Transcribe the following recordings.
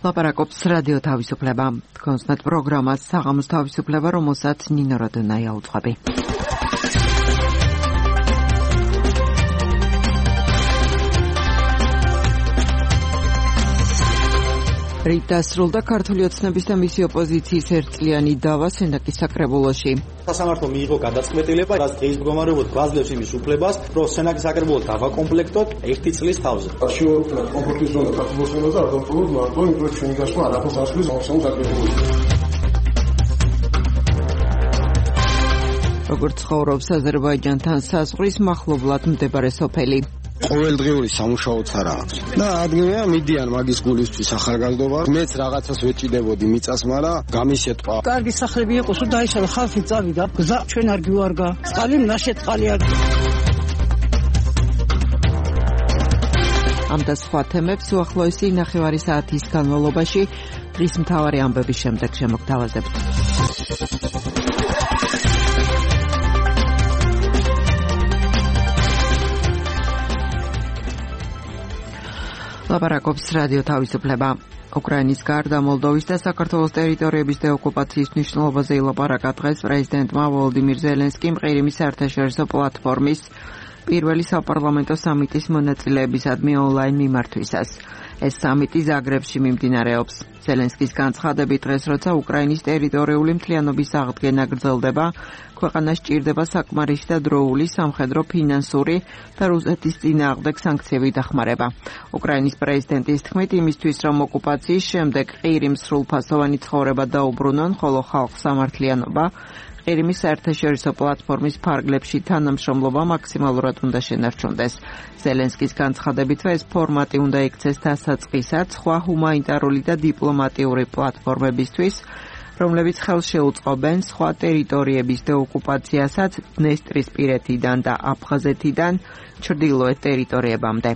ლაპარაკობს რადიო თავისუფლება. კონსტანტ პროგრამას საღამოს თავისუფლება, რომელსაც ნინო როდონაია უძღვები. რით დასრულდა ქართული ოცნების და მისი ოპოზიციის ერთწლიანი დავა სენაკის საკრებულოში. სასამართლომ მიიღო გადაწყვეტილება, რაც დღის მდგომარეობით გვაძლევს იმის უფლებას, რომ სენაკის საკრებულო დავაკომპლექტოთ 1 წლის თავზე. შეუძლია კომფორტის ზონა საქართველოს და ავტომატურად მარტო იმპროექტ ჩვენი გასვლა არაფერს ასვლის მოსამო საკრებულოში. როგორც ცხოვრობს აზერბაიჯანთან საზღვრის მახლობლად მდებარე სოფელი. ყოველდღიური სამუშაოც არ აქვს. და ადგილია მიდიან მაგის გულისთვის ახალგაზრდობა. მეც რაღაცას ვეჭიდებოდი მიწას, მაგრამ გამისეთყვა. კარგი სახლები იყოს, რომ დაიშალა ხალხი წავიდა. გზა ჩვენ არ გივარგა. წყალი ნაშეთ წყალი არ. ამ და სხვა თემებს უახლოესი 9 საათის განმავლობაში დღის მთავარი ამბების შემდეგ შემოგთავაზებთ. ლაპარაკობს რადიო თავისუფლება. უკრაინის გარდა მოლდოვის და საქართველოს ტერიტორიების დეოკუპაციის მნიშვნელობაზე ილაპარაკა დღეს პრეზიდენტმა ვოლოდიმირ ზელენსკიმ ყირიმის საერთაშორისო პლატფორმის პირველი საპარლამენტო სამიტის მონაწილეებისადმი ონლაინ მიმართვისას. ეს სამიტი ზაგრებში მიმდინარეობს. ზელენსკის განცხადებით დღეს, როცა უკრაინის ტერიტორიული მთლიანობის აღდგენა გრძელდება, ქვეყანას სჭირდება საკმარისი და დროული სამხედრო, ფინანსური და რუსეთის წინააღმდეგ სანქციები დახმარება. უკრაინის პრეზიდენტის თქმით, იმისთვის, რომ ოკუპაციის შემდეგ ყირიმს სრულფასოვანი ცხოვრება დაუბრუნონ, ხოლო ხალხს სამართლიანობა ყირიმის საერთაშორისო პლატფორმის ფარგლებში თანამშრომლობა მაქსიმალურად უნდა შენარჩუნდეს. ზელენსკის განცხადებით, ეს ფორმატი უნდა იქცეს დასაწყისად სხვა ჰუმანიტარული და დიპლომატიური პლატფორმებისთვის, რომლებიც ხელს შეუწყობენ სხვა ტერიტორიების დეოკუპაციასაც დნესტრისპირეთიდან და აფხაზეთიდან ჩრდილოეთ ტერიტორიებამდე.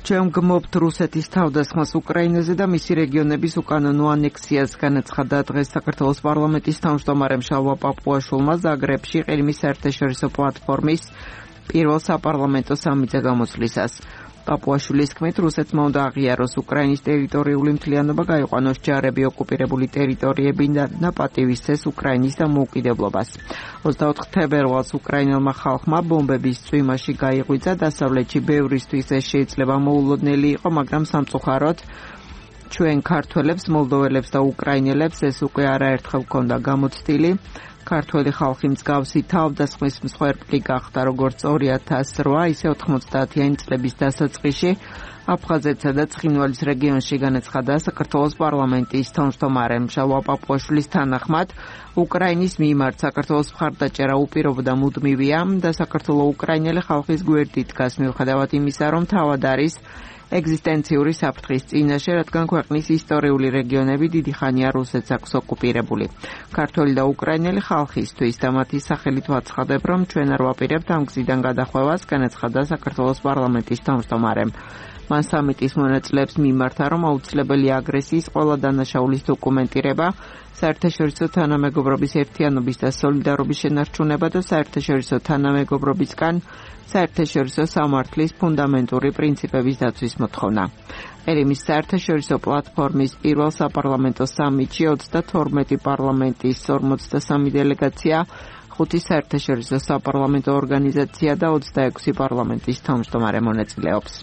ჩვენ გმობთ რუსეთის თავდასხმას უკრაინაზე და მისი რეგიონების უკანონო ანექსიას, განაცხადა დღეს საქართველოს პარლამენტის თავმჯდომარემ შალვა პაპუაშვილმა ზაგრებში ყირიმის საერთაშორისო პლატფორმის პირველ საპარლამენტო სამიტზე გამოსვლისას. პაპუაშვილის თქმით, რუსეთმა უნდა აღიაროს უკრაინის ტერიტორიული მთლიანობა, გაიყვანოს ჯარები ოკუპირებული ტერიტორიებიდან და პატივისცეს უკრაინის დამოუკიდებლობას. 24 თებერვალს უკრაინელმა ხალხმა ბომბების წვიმაში გაიღვიძა, დასავლეთში ბევრისთვის ეს შეიძლება მოულოდნელი იყო, მაგრამ სამწუხაროდ ჩვენ ქართველებს, მოლდოველებს და უკრაინელებს ეს უკვე არაერთხელ ჰქონდა გამოცდილი. ქართველი ხალხი მსგავსი თავდასხმის მსხვერპლი გახდა როგორც 2008, ისე 90-იანი წლების დასაწყისში აფხაზეთსა და ცხინვალის რეგიონში, განაცხადა საქართველოს პარლამენტის თავმჯდომარემ შალვა პაპუაშვილის თანახმად. უკრაინის მიმართ საქართველოს მხარდაჭერა უპირობო და მუდმივია და საქართველო-უკრაინელი ხალხის გვერდით დგას, მიუხედავად იმისა, რომ თავად არის ეგზისტენციური საფრთხის წინაშე, რადგან ქვეყნის ისტორიული რეგიონები დიდი ხანია რუსეთს აქვს ოკუპირებული. ქართველი და უკრაინელი ხალხისთვის და მათი სახელით ვაცხადებ, რომ ჩვენ არ ვაპირებთ ამ გზიდან გადახვევას, განაცხადა საქართველოს პარლამენტის თავმჯდომარემ. მან სამიტის მონაწილეებს მიმართა, რომ აუცილებელია აგრესიის ყველა დანაშაულის დოკუმენტირება, საერთაშორისო თანამეგობრობის ერთიანობის და სოლიდარობის შენარჩუნება და საერთაშორისო თანამეგობრობისგან საერთაშორისო სამართლის ფუნდამენტური პრინციპების დაცვის მოთხოვნა. ყირიმის საერთაშორისო პლატფორმის პირველ საპარლამენტო სამიტში 32 პარლამენტის 53 დელეგაცია, 5 საერთაშორისო საპარლამენტო ორგანიზაცია და 26 პარლამენტის თავმჯდომარე მონაწილეობს.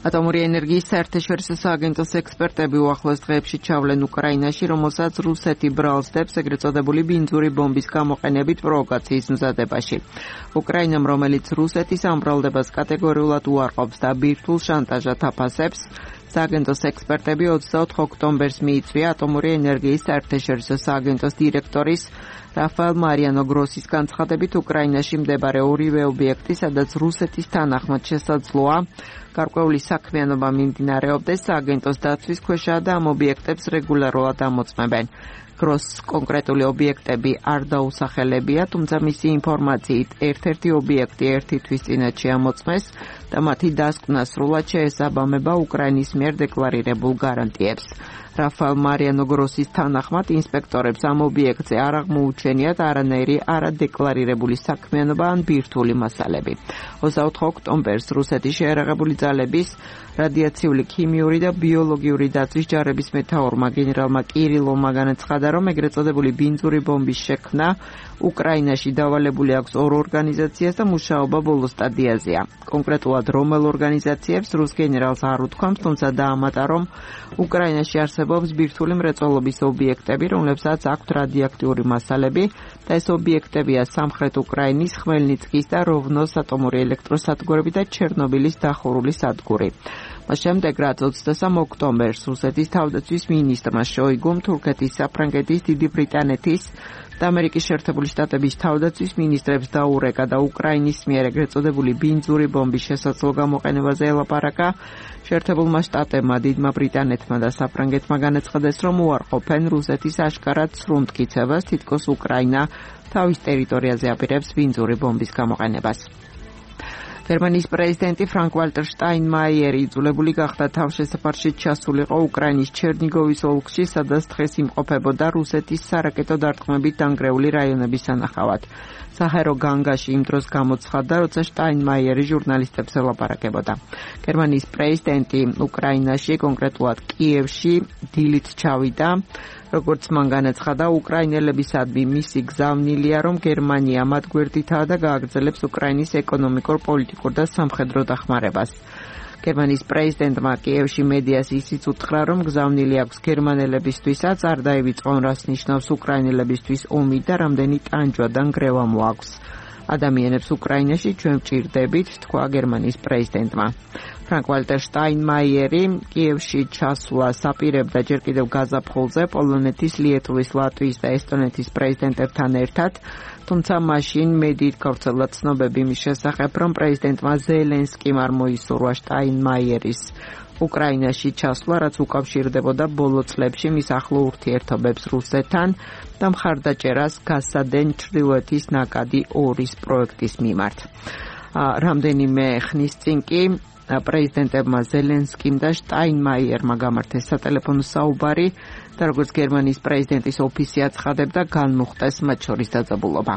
ატომური ენერგიის საერთაშორისო სააგენტოს ექსპერტები უახლოეს დღეებში ჩავლენ უკრაინაში, რომელსაც რუსეთი ბრალსდებს ეგრეთ წოდებული ბინძური ბომბის გამოყენებით პროვოკაციის მზადებაში. უკრაინამ, რომელიც რუსეთის ამ ბრალდებას კატეგორიულად უარყოფს და ბირთვულ შანტაჟად აფასებს, სააგენტოს ექსპერტები 24 ოქტომბერს მიიწვია ატომური ენერგიის საერთაშორისო სააგენტოს დირექტორის რაფაელ მარიანო გროსის განცხადებით, უკრაინაში მდებარე ორივე ობიექტი, სადაც რუსეთის თანახმად შესაძლოა გარკვეული საქმიანობა მიმდინარეობდეს, სააგენტოს დაცვის ქვეშაა და ამ ობიექტებს რეგულარულად ამოწმებენ. გროსს კონკრეტული ობიექტები არ დაუსახელებია, თუმცა მისი ინფორმაციით ერთ-ერთი ობიექტი ერთი თვის წინათ შეამოწმეს და მათი დასკვნა სრულად შეესაბამება უკრაინის მიერ დეკლარირებულ გარანტიებს. რაფაელ მარიანო გროსის თანახმად ინსპექტორებს ამ ობიექტზე არ აღმოუჩენიათ არანაირი არადეკლარირებული საქმიანობა ან ბირთვული მასალები. 24 ოქტომბერს რუსეთის შეიარაღებული ძალების რადიაციული, ქიმიური და ბიოლოგიური დაცვის ჯარების მეთაურმა გენერალმა კირილოვმა განაცხადა, რომ ეგრეთ წოდებული ბინძური ბომბის შექმნა უკრაინაში დავალებული აქვს 2 ორგანიზაციას და მუშაობა ბოლო სტადიაზეა. კონკრეტულად რომელ ორგანიზაციებს რუს გენერალს არ უთქვამს, თუმცა დაამატა, რომ უკრაინაში არსებობს ბირთვული მრეწველობის ობიექტები, რომლებსაც აქვთ რადიოაქტიური მასალები და ეს ობიექტებია სამხრეთ უკრაინის ხმელნიცკის და როვნოს ატომური ელექტროსადგურები და ჩერნობილის დახურული სადგური. მას შემდეგ, რაც 23 ოქტომბერს რუსეთის თავდაცვის მინისტრმა შოიგუმ, თურქეთის, საფრანგეთის, დიდი ბრიტანეთის და ამერიკის შეერთებული შტატების თავდაცვის მინისტრებს დაურეკა და უკრაინის მიერ ეგრეთ წოდებული ბინძური ბომბის შესაძლო გამოყენებაზე ელაპარაკა. შეერთებულმა შტატებმა, დიდმა ბრიტანეთმა და საფრანგეთმა განაცხადეს, რომ უარყოფენ რუსეთის აშკარად სრუნტკიცებას, თითქოს უკრაინა თავის ტერიტორიაზე აპირებს ბინძური ბომბის გამოყენებას. გერმანიის პრეზიდენტი ფრანკ-ვალტერ შტაინმაიერი იძულებული გახდა თავშესაფარში ჩასულიყო უკრაინის ჩერნიგოვის ოლქში, სადაც დღეს იმყოფებოდა რუსეთის სარაკეტო დარტყმებით დანგრეული რაიონების სანახავად. საჰერო განგაში იმ დროს გამოცხადდა, როცა შტაინმაიერი ჟურნალისტებს ელაპარაკებოდა. გერმანიის პრეზიდენტი უკრაინაში, კონკრეტულად კიევში, დილით ჩავიდა. როგორც მან განაცხადა, უკრაინელებისადმი მისი გზავნილია, რომ გერმანია მათ გვერდითაა და გააგრძელებს უკრაინის ეკონომიკურ, პოლიტიკურ და სამხედრო დახმარებას. გერმანიის პრეზიდენტმა კიევში მედიას ისიც უთხრა, რომ გზავნილი აქვს გერმანელებისთვისაც არ დაივიწყონ, რას ნიშნავს უკრაინელებისთვის ომი და რამდენი ტანჯვა და ნგრევა მოაქვს. ადამიანებს უკრაინაში ჩვენ ვჭირდებით, თქვა გერმანიის პრეზიდენტმა. ფრანკ-ვალტერ შტაინმაიერი კიევში ჩასვლას აპირებდა ჯერ კიდევ გაზაფხულზე პოლონეთის, ლიეტუვის, ლატვიის და ესტონეთის პრეზიდენტებთან ერთად, თუმცა მაშინ მედიით გავრცელდა ცნობები იმის შესახებ, რომ პრეზიდენტმა ზელენსკიმ არ მოისურვა შტაინმაიერის უკრაინაში ჩასვლა, რაც უკავშირდებოდა ბოლო წლებში მის ახლო ურთიერთობებს რუსეთთან და მხარდაჭერას გასადენ ჩრდილოეთის ნაკადი 2-ის პროექტის მიმართ. რამდენიმე ხნის წინ კი პრეზიდენტებმა ზელენსკიმ და შტაინმაიერმა გამართეს სატელეფონო საუბარი და როგორც გერმანიის პრეზიდენტის ოფისი აცხადებდა, განმუხტეს მათ შორის დაძაბულობა.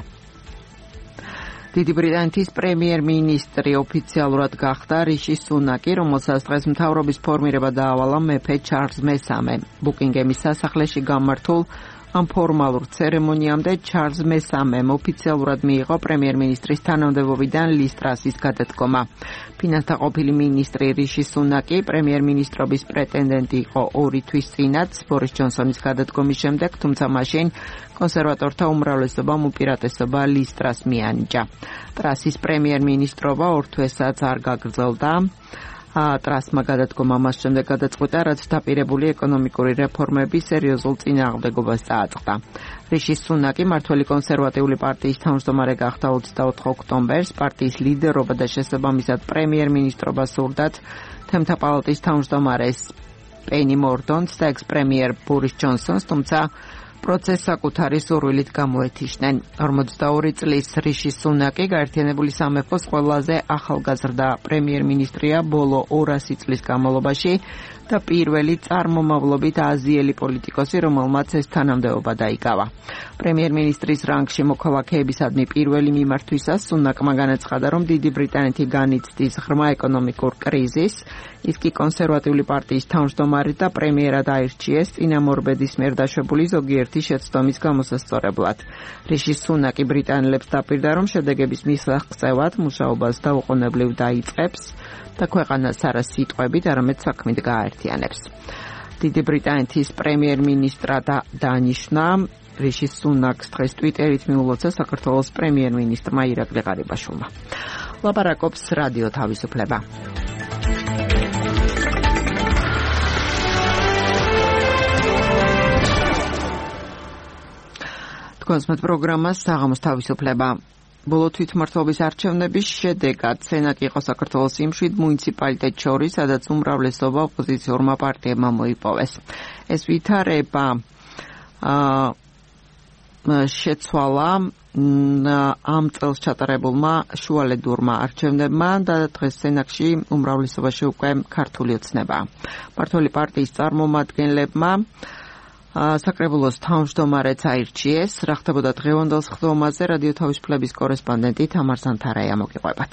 დიდი ბრიტანეთის პრემიერ-მინისტრი ოფიციალურად გახდა რიში სუნაკი, რომელსაც დღეს მთავრობის ფორმირება დაავალა მეფე ჩარლზ მესამე. ბუკინგემის სასახლეში გამართულ ამ ფორმალურ ცერემონიამდე ჩარლზ მესამემ ოფიციალურად მიიღო პრემიერ-მინისტრის თანამდებობიდან ლის ტრასის გადადგომა. ფინანსთა ყოფილი მინისტრი რიში სუნაკი პრემიერ-მინისტრობის პრეტენდენტი იყო 2 თვის წინაც ბორის ჯონსონის გადადგომის შემდეგ, თუმცა მაშინ კონსერვატორთა უმრავლესობამ უპირატესობა ლის ტრას მიანიჭა. ტრასის პრემიერ-მინისტრობა 2 თვესაც არ გაგრძელდა. ტრასმა გადადგომა მას შემდეგ გადაწყვიტა, რაც დაპირებული ეკონომიკური რეფორმების სერიოზულ წინააღმდეგობას წააწყდა. რიში სუნაკი მმართველი კონსერვატიული პარტიის თავმჯდომარე გახდა 24 ოქტომბერს. პარტიის ლიდერობა და შესაბამისად პრემიერ-მინისტრობა სურდათ თემთა პალატის თავმჯდომარეს პენი მორდონს და ექს-პრემიერ ბორის ჯონსონს, თუმცა პროცესს საკუთარი სურვილით გამოეთიშნენ. 42 წლის რიში სუნაკი გაერთიანებული სამეფოს ყველაზე ახალგაზრდა პრემიერ-მინისტრია ბოლო 200 წლის განმავლობაში და პირველი წარმომავლობით აზიელი პოლიტიკოსი, რომელმაც ეს თანამდებობა დაიკავა. პრემიერ-მინისტრის რანგში მოქალაქეებისადმი პირველი მიმართვისას სუნაკმა განაცხადა, რომ დიდი ბრიტანეთი განიცდის ღრმა ეკონომიკურ კრიზისს. ის კი კონსერვატიული პარტიის თავმჯდომარე და პრემიერად აირჩიეს წინამორბედის მიერ დაშვებული ზოგიერთი შეცდომის გამოსასწორებლად. რიში სუნაკი ბრიტანელებს დაპირდა, რომ შედეგების მისაღწევად მუშაობას დაუყოვნებლივ დაიწყებს და ქვეყანას არა სიტყვებით, არამედ საქმით გააერთიანებს. დიდი ბრიტანეთის პრემიერ-მინისტრად დაანიშნა რიში სუნაკს დღეს ტვიტერით მიულოცა საქართველოს პრემიერ-მინისტრმა ირაკლი ღარიბაშვილმა. ლაპარაკობს რადიო თავისუფლება. კონსმეთ პროგრამას საღამოს თავისუფლება. ბოლო თვითმმართველობის არჩევნების შედეგად სენატი იყო საქართველოს იმ 7 მუნიციპალიტეტს შორის, სადაც უმრავლესობა ოპოზიციურმა პარტიებმა მოიპოვეს. ეს ვითარება შეცვალა ამ წელს ჩატარებულმა შუალედურმა არჩევნებმა და დღეს სენაკში უმრავლესობაში უკვე ქართული ოცნება. მმართველი პარტიის წარმომადგენლებმა საკრებულოს თავმჯდომარეც აირჩიეს. რა ხდებოდა დღევანდელ სხდომაზე რადიო თავისუფლების კორესპონდენტი თამარ ზანთარაია მოგიყვებათ.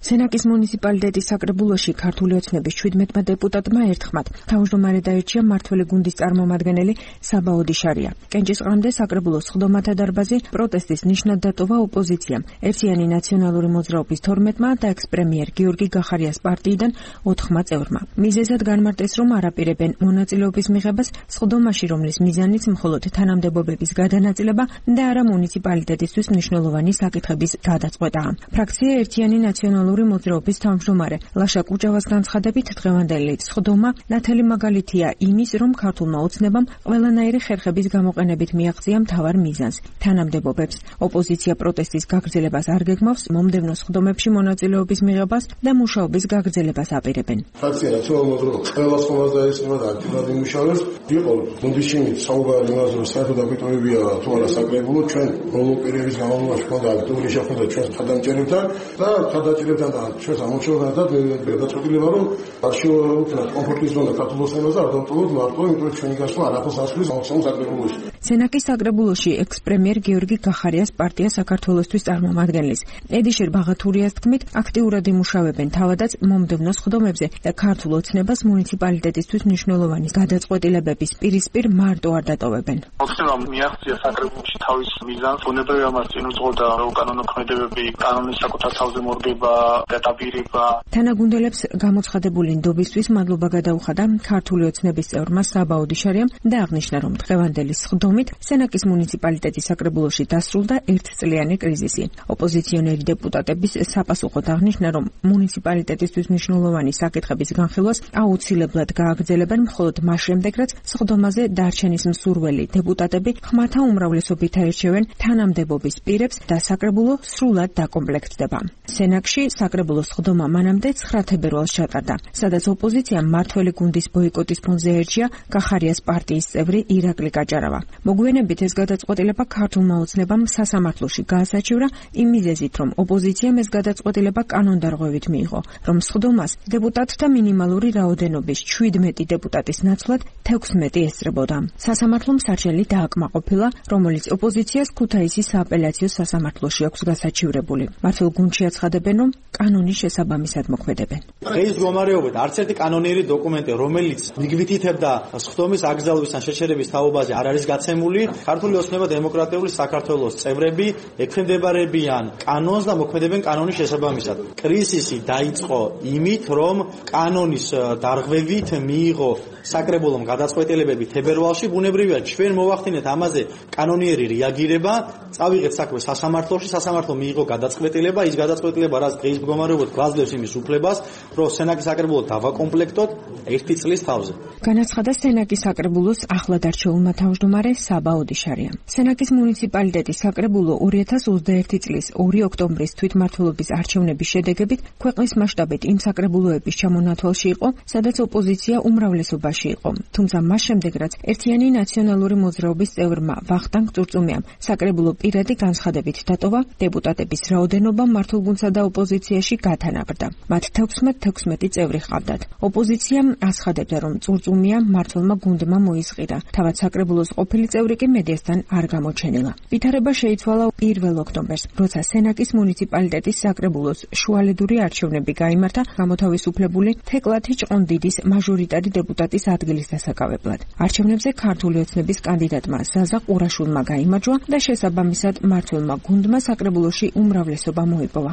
სენაკის მუნიციპალიტეტის საკრებულოში ქართული ოცნების 17 დეპუტატმა ერთხმად თავმჯდომარე დაირჩია მმართველი გუნდის წარმომადგენელი საბა ოდიშარია. კენჭისყრამდე საკრებულოს სხდომათა დარბაზი პროტესტის ნიშნად დატოვა ოპოზიციამ. ერთიანი ნაციონალური მოძრაობის 12-მა და ექს-პრემიერ გიორგი გახარიას პარტიიდან 4 წევრმა. მიზეზად განმარტეს, რომ არ აპირებენ მონაწილეობის მიღებას სხდომაში, რომლის მიზანიც მხოლოდ თანამდებობების გადანაწილება და არა მუნიციპალიტეტისთვის მნიშვნელოვანი საკითხების გადაწყვეტაა. ფრაქცია ერთიანი ნაციონალური მოძრაობის თავმჯდომარე ლაშა კუჭავას განცხადებით დღევანდელი სხდომა ნათელი მაგალითია იმის, რომ ქართულმა ოცნებამ ყველანაირი ხერხების გამოყენებით მიაღწია მთავარ მიზანს თანამდებობებს. ოპოზიცია პროტესტის გაგრძელებას არ გეგმავს, მომდევნო სხდომებში მონაწილეობის მიღებას და მუშაობის გაგრძელებას აპირებენ. ფრაქცია ნაციონალური მოძრაობა ყველა სხდომას დაესწრება და აქტიურად იმუშავებს. იყო გუნდის შიგნით საუბარი იმაზე, რომ საერთოდ აკრიტიკებია თუ არა საკრებულო, ჩვენ ბოლო პერიოდის განმავლობაში ხონდა აქტიური შეხვედრა ჩვენს ხადამჭერებთან და ხადამჭერებთან და ჩვენს ამოწურებთან და გადაწყვეტილება, რომ არჩევნებთან კომფორტის ზონა ქართულ ოცნებას არ დავტოვოთ მარტო, იმიტომ რომ ჩვენი გასვლა არაფერს ასრულებს ამხსოვს საკრებულოში. სენაკის საკრებულოში ექს-პრემიერ გიორგი გახარიას პარტია საქართველოსთვის წარმომადგენლის ედიშერ ბაღათურიას თქმით, აქტიურად იმუშავებენ თავადაც მომდევნო სხდომებზე და ქართულ ოცნებას მუნიციპალიტეტისთვის მნიშვნელოვანი გადაწყვეტილებების პირისპირ მარტო არ დატოვებენ. ოცნებამ მიაღწია საკრებულოში თავის მიზანს, უნებრივია მას წინ უძღოდა, რომ კანონო ქმედებები კანონის საკუთარ თავზე მორგება და დაპირება. თანაგუნდელებს გამოცხადებული ნდობისთვის მადლობა გადაუხადა ქართული ოცნების წევრმა საბა ოდიშარიამ და აღნიშნა, რომ დღევანდელი სხდომით სენაკის მუნიციპალიტეტის საკრებულოში დასრულდა ერთწლიანი კრიზისი. ოპოზიციონერი დეპუტატების საპასუხოდ აღნიშნა, რომ მუნიციპალიტეტისთვის მნიშვნელოვანი საკითხების განხილვას აუცილებლად გააგრძელებენ მხოლოდ მას შემდეგ, რაც სხდომაზე დარჩენის მსურველი დეპუტატები ხმათა უმრავლესობით აირჩევენ თანამდებობის პირებს და საკრებულო სრულად დაკომპლექტდება. სენაკში საკრებულოს სხდომა მანამდე 9 თებერვალს ჩატარდა, სადაც ოპოზიციამ მმართველი გუნდის ბოიკოტის ფონზე ერჩია გახარიას პარტიის წევრი ირაკლი კაჭარავა. მოგვიანებით ეს გადაწყვეტილება ქართულმა ოცნებამ სასამართლოში გაასაჩივრა იმ მიზეზით, რომ ოპოზიციამ ეს გადაწყვეტილება კანონდარღვევით მიიღო, რომ სხდომას დეპუტატთა მინიმალური რაოდენობის 17 დეპუტატის ნაცვლად 16 ესწრებოდა. სასამართლომ სარჩელი დააკმაყოფილა, რომელიც ოპოზიციას ქუთაისის სააპელაციო სასამართლოში აქვს გასაჩივრებული. მართლ გუნდში აცხადებენ, რომ კანონის შესაბამისად მოქმედებენ. დღეს მდგომარეობით არც ერთი კანონიერი დოკუმენტი, რომელიც მიგვითითებდა სხდომის აკრძალვის ან შეჩერების თაობაზე არ არის გაცემული. ქართული ოცნება დემოკრატიული საქართველოს წევრები ექვემდებარებიან კანონს და მოქმედებენ კანონის შესაბამისად. კრიზისი დაიწყო იმით, რომ კანონის დარღვევით მიიღო საკრებულომ გადაწყვეტილებები თებერვალში. ბუნებრივია, ჩვენ მოვახდინეთ ამაზე კანონიერი რეაგირება, წავიღეთ საქმე სასამართლოში, სასამართლო მიიღო გადაწყვეტილება, ის გადაწყვეტილება რაც დღის მდგომარეობით გვაძლევს იმის უფლებას, რომ სენაკის საკრებულო დავაკომპლექტოთ 1 წლის თავზე. განაცხადა სენაკის საკრებულოს ახლად არჩეულმა თავმჯდომარე საბა ოდიშარია. სენაკის მუნიციპალიტეტის საკრებულო 2021 წლის 2 ოქტომბრის თვითმმართველობის არჩევნების შედეგებით ქვეყნის მასშტაბით იმ საკრებულოების ჩამონათვალში იყო, სადაც ოპოზიცია უმრავლესობაში იყო. თუმცა მას შემდეგ, რაც ერთიანი ნაციონალური მოძრაობის წევრმა ვახტანგ წურწუმიამ საკრებულო პირადი განცხადებით დატოვა, დეპუტატების რაოდენობა მართლგუნდსა და ოპოზიციაში გათანაბრდა. მათ 16 წევრი ჰყავდათ. ოპოზიციამ აცხადებდა, რომ წურწუმია მართლმა გუნდმა მოისყიდა. თავად საკრებულოს ყოფილი წევრი კი მედიასთან არ გამოჩენილა. ვითარება შეიცვალა 1 ოქტომბერს, როცა სენაკის მუნიციპალიტეტის საკრებულოს შუალედური არჩევნები გაიმართა გამოთავისუფლებული თეკლათი ჭყონდიდის მაჟორიტარი დეპუტატის ადგილის დასაკავებლად. არჩევნებზე ქართული ოცნების კანდიდატმა ზაზა ყურაშვილმა გაიმარჯვა და შესაბამისად მმართველმა გუნდმა საკრებულოში უმრავლესობა მოიპოვა.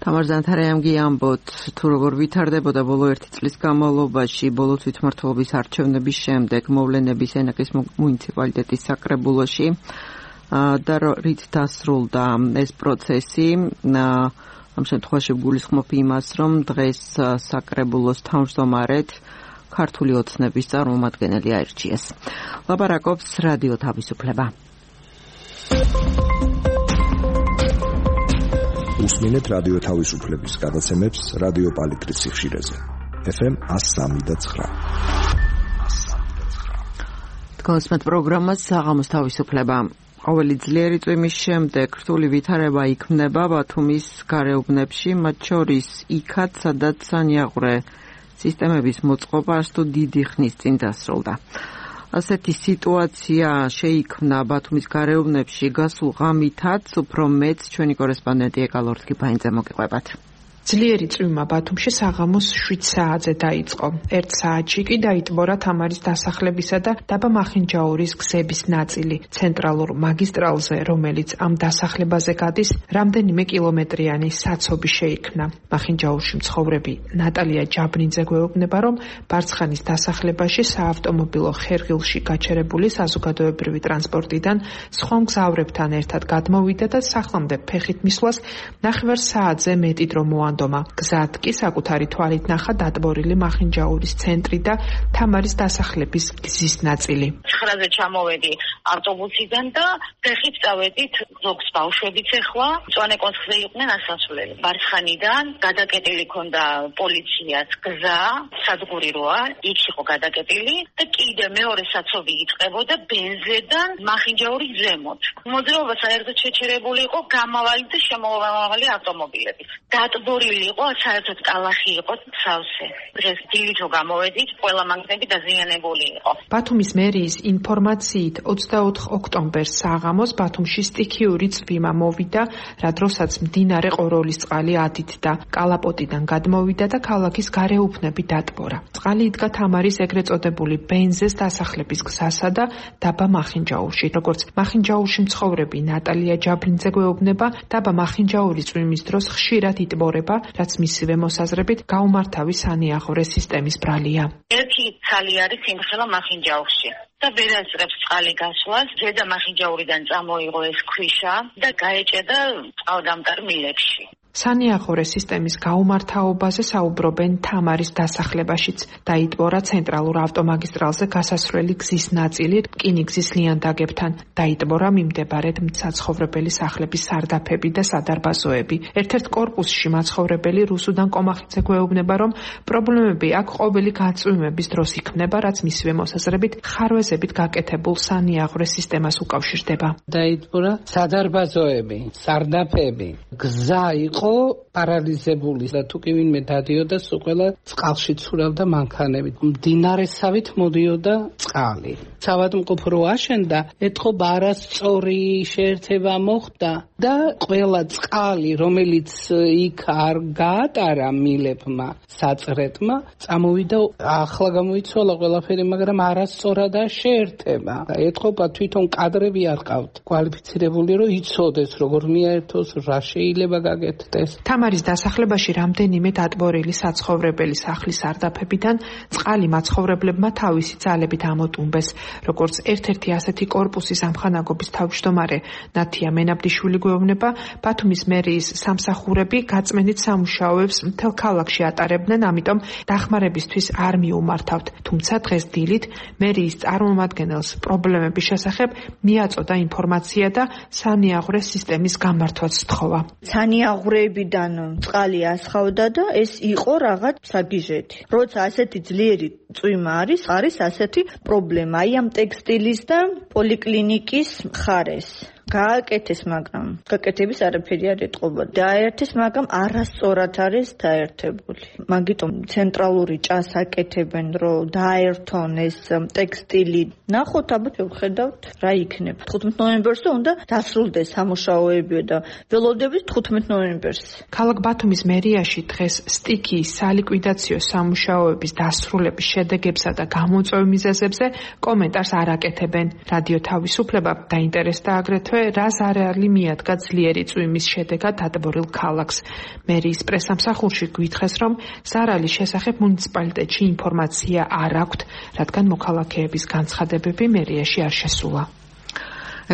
თამარ ზანთარაიამ გიამბოთ, თუ როგორ ვითარდებოდა ბოლო 1 წლის განმავლობაში ბოლო თვითმმართველობის არჩევნების შემდეგ მოვლენები სენაკის მუნიციპალიტეტის საკრებულოში და რით დასრულდა ეს პროცესი. ამ შემთხვევაში გულისხმობ იმას, რომ დღეს საკრებულოს თავმჯდომარედ ქართული ოცნების წარმომადგენელი აირჩიეს. ლაპარაკობს რადიო თავისუფლება. უსმინეთ რადიო თავისუფლების გადაცემებს რადიო პალიტრის სიხშირეზე. FM 103.9. თქვენს პროგრამას საღამოს თავისუფლება. ყოველი ძლიერი წვიმის შემდეგ რთული ვითარება იქმნება ბათუმის გარეუბნებში, მათ შორის იქაც, სადაც სანიაღვრე სისტემების მოწყობა თუ დიდი ხნის წინ დასრულდა. ასეთი სიტუაცია შეიქმნა ბათუმის გარეუბნებში გასულ ღამითაც, უფრო მეც ჩვენი კორესპონდენტი ეკალორთ კიფაინძე მოგიყვებათ. ძლიერი წვიმა ბათუმში საღამოს 7 საათზე დაიწყო. 1 საათში კი დაიტბორა თამარის დასახლებისა და დაბა მახინჯაურის გზების ნაწილი. ცენტრალურ მაგისტრალზე, რომელიც ამ დასახლებაზე გადის, რამდენიმე კილომეტრიანი საცობი შეიქმნა. მახინჯაურში მცხოვრები ნატალია ჯაბრინძე გვეუბნება, რომ ბარცხანის დასახლებაში საავტომობილო ხერხილში გაჩერებული საზოგადოებრივი ტრანსპორტიდან სხვა მგზავრებთან ერთად გადმოვიდა და სახლამდე ფეხით მისვლას 9 საათზე მეტი დრო გზად კი საკუთარი თვალით ნახა დატბორილი მახინჯაურის ცენტრი და თამარის დასახლების გზის ნაწილი. 9-ზე ჩამოვედი ავტობუსიდან და ფეხით წავედით ზოგს ბავშვებიც ეხლა მწვანე კონცხზე იყვნენ ასასვლელი. ბარცხანიდან გადაკეტილი ქონდა პოლიციას გზა, სადგური როა, იქ იყო გადაკეტილი და კიდე მეორე საცობი იწყებოდა ბენზედან მახინჯაურის ზემოთ. მოძრაობა საერთოდ შეჩერებული იყო გამავალი და შემოვამავალი ავტომობილებით. დატბორილი იყო, საერთოდ კალახი იყო სავსე. დღეს დილითო გამოვედით, ყველა მანქანები დაზიანებული იყო. ბათუმის მერიის ინფორმაციით 24 ოქტომბერს საღამოს ბათუმში სტიქიური წვიმა მოვიდა, რა დროსაც მდინარე ყოროლის წყალი ადიდდა, კალაპოტიდან გადმოვიდა და ქალაქის გარეუბნები დატბორა. წყალი იდგა თამარის ეგრეთ წოდებული ბენზეს დასახლების გზასა და დაბა მახინჯაურში. როგორც მახინჯაურში მცხოვრები ნატალია ჯაბრინძე გვეუბნება, დაბა მახინჯაურის წვიმის დროს ხშირად იტბორება, რაც მისივე მოსაზრებით გაუმართავი სანიაღვრე სისტემის ბრალია. ერთი ცალი არის იმხელა მახინჯაურში და ვერ აწყებს წყალი გასვლას. ზედა მახინჯაურიდან წამოიღო ეს ქვიშა და გაეჭედა წყალდამტარ მილებში. სანიაღვრე სისტემის გაუმართავობაზე საუბრობენ თამარის დასახლებაშიც. დაიტბორა ცენტრალურ ავტომაგისტრალზე გასასვლელი გზის ნაწილი რკინიგზის ლიანდაგებთან. დაიტბორა მიმდებარედ მცაცხოვრებელი სახლების სარდაფები და სადარბაზოები. ერთ-ერთ კორპუსში მაცხოვრებელი რუსუდან კომახიძე გვეუბნება, რომ პრობლემები აქ ყოველი გაწვიმების დროს იქმნება, რაც მისივე მოსაზრებით ხარვეზებით გაკეთებულ სანიაღვრე სისტემას უკავშირდება. დაიტბორა სადარბაზოები, სარდაფები, გზა იყო პარალიზებული და თუ კი ვინმე დადიოდა, სულ ყველა წყალში ცურავდა მანქანებით. მდინარესავით მოდიოდა წყალი. საავადმყოფო რო აშენდა, ეთყობა არასწორი შეერთება მოხდა და ყველა წყალი, რომელიც იქ არ გაატარა მილებმა, საწრეთმა, წამოვიდა, ახლა გამოიცვალა ყველაფერი, მაგრამ არასწორადაა შეერთება. ეთყობა თვითონ კადრები არ ყავთ კვალიფიცირებული, რომ იცოდეს როგორ მიაერთოს, რა შეიძლება გაკეთდეს. თამარის დასახლებაში რამდენიმე დატბორილი საცხოვრებელი სახლის სარდაფებიდან წყალი მაცხოვრებლებმა თავისი ძალებით ამოტუმბეს. როგორც ერთ-ერთი ასეთი კორპუსის ამხანაგობის თავმჯდომარე ნათია მენაბდიშვილი გვეუბნება, ბათუმის მერიის სამსახურები გაწმენდით სამუშაოებს მთელ ქალაქში ატარებდნენ, ამიტომ დახმარებისთვის არ მიუმართავთ. თუმცა დღეს დილით მერიის წარმომადგენელს პრობლემების შესახებ მიაწოდა ინფორმაცია და სანიაღვრე სისტემის გამართვაც სთხოვა. სანიაღვრეებიდან წყალი ასხავდა და ეს იყო რაღაც საგიჟეთი. როცა ასეთი ძლიერი წვიმა არის ასეთი პრობლემა. აი ამ ტექსტილის და პოლიკლინიკის მხარეს გააკეთეს, მაგრამ გაკეთების არაფერი არ ეტყობა. დაერთეს, მაგრამ არასწორად არის დაერთებული. მაგიტომ ცენტრალური ჭას აკეთებენ, რომ დაერთონ ეს ტექსტილი. ნახოთ, აბა შევხედავთ რა იქნება. 15 ნოემბერს უნდა დასრულდეს სამუშაოები და ველოდებით 15 ნოემბერს. ქალაქ ბათუმის მერიაში დღეს სტიქიის სალიკვიდაციო სამუშაოების დასრულების შედეგებსა და გამოწვევ მიზეზებზე კომენტარს არ აკეთებენ. რადიო თავისუფლება დაინტერესდა აგრეთვე რას არეალი მიადგა ძლიერი წვიმის შედეგად დატბორილ ქალაქს. მერიის პრესამსახურში გვითხრეს, რომ ზარალის შესახებ მუნიციპალიტეტში ინფორმაცია არ აქვთ, რადგან მოქალაქეების განცხადებები მერიაში არ შესულა.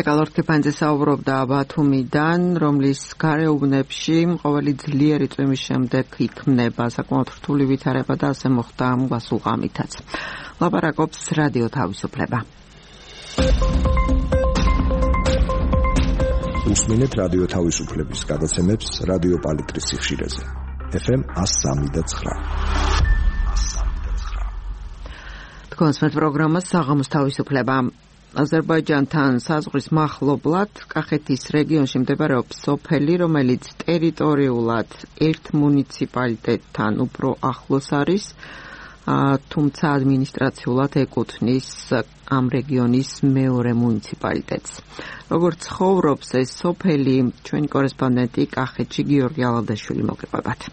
ეკალორთ კიფაინძე საუბრობდა ბათუმიდან, რომლის გარეუბნებში ყოველი ძლიერი წვიმის შემდეგ იქმნება საკმაოდ რთული ვითარება და ასე მოხდა გასულ ღამითაც. ლაპარაკობს რადიო თავისუფლება. უსმენთ რადიო თავისუფლების გადაცემებს რადიო პალიტრის სიხშირეზე. FM 103.9. თქვენს პროგრამას საღამოს თავისუფლება. აზერბაიჯანთან საზღვრის მახლობლად კახეთის რეგიონში მდებარეობს სოფელი, რომელიც ტერიტორიულად ერთ მუნიციპალიტეტთან უფრო ახლოს არის, თუმცა ადმინისტრაციულად ეკუთვნის ამ რეგიონის მეორე მუნიციპალიტეტს. როგორც ცხოვრობს ეს სოფელი, ჩვენი კორესპონდენტი კახეთში გიორგი ალავდაშვილი მოგიყვებათ.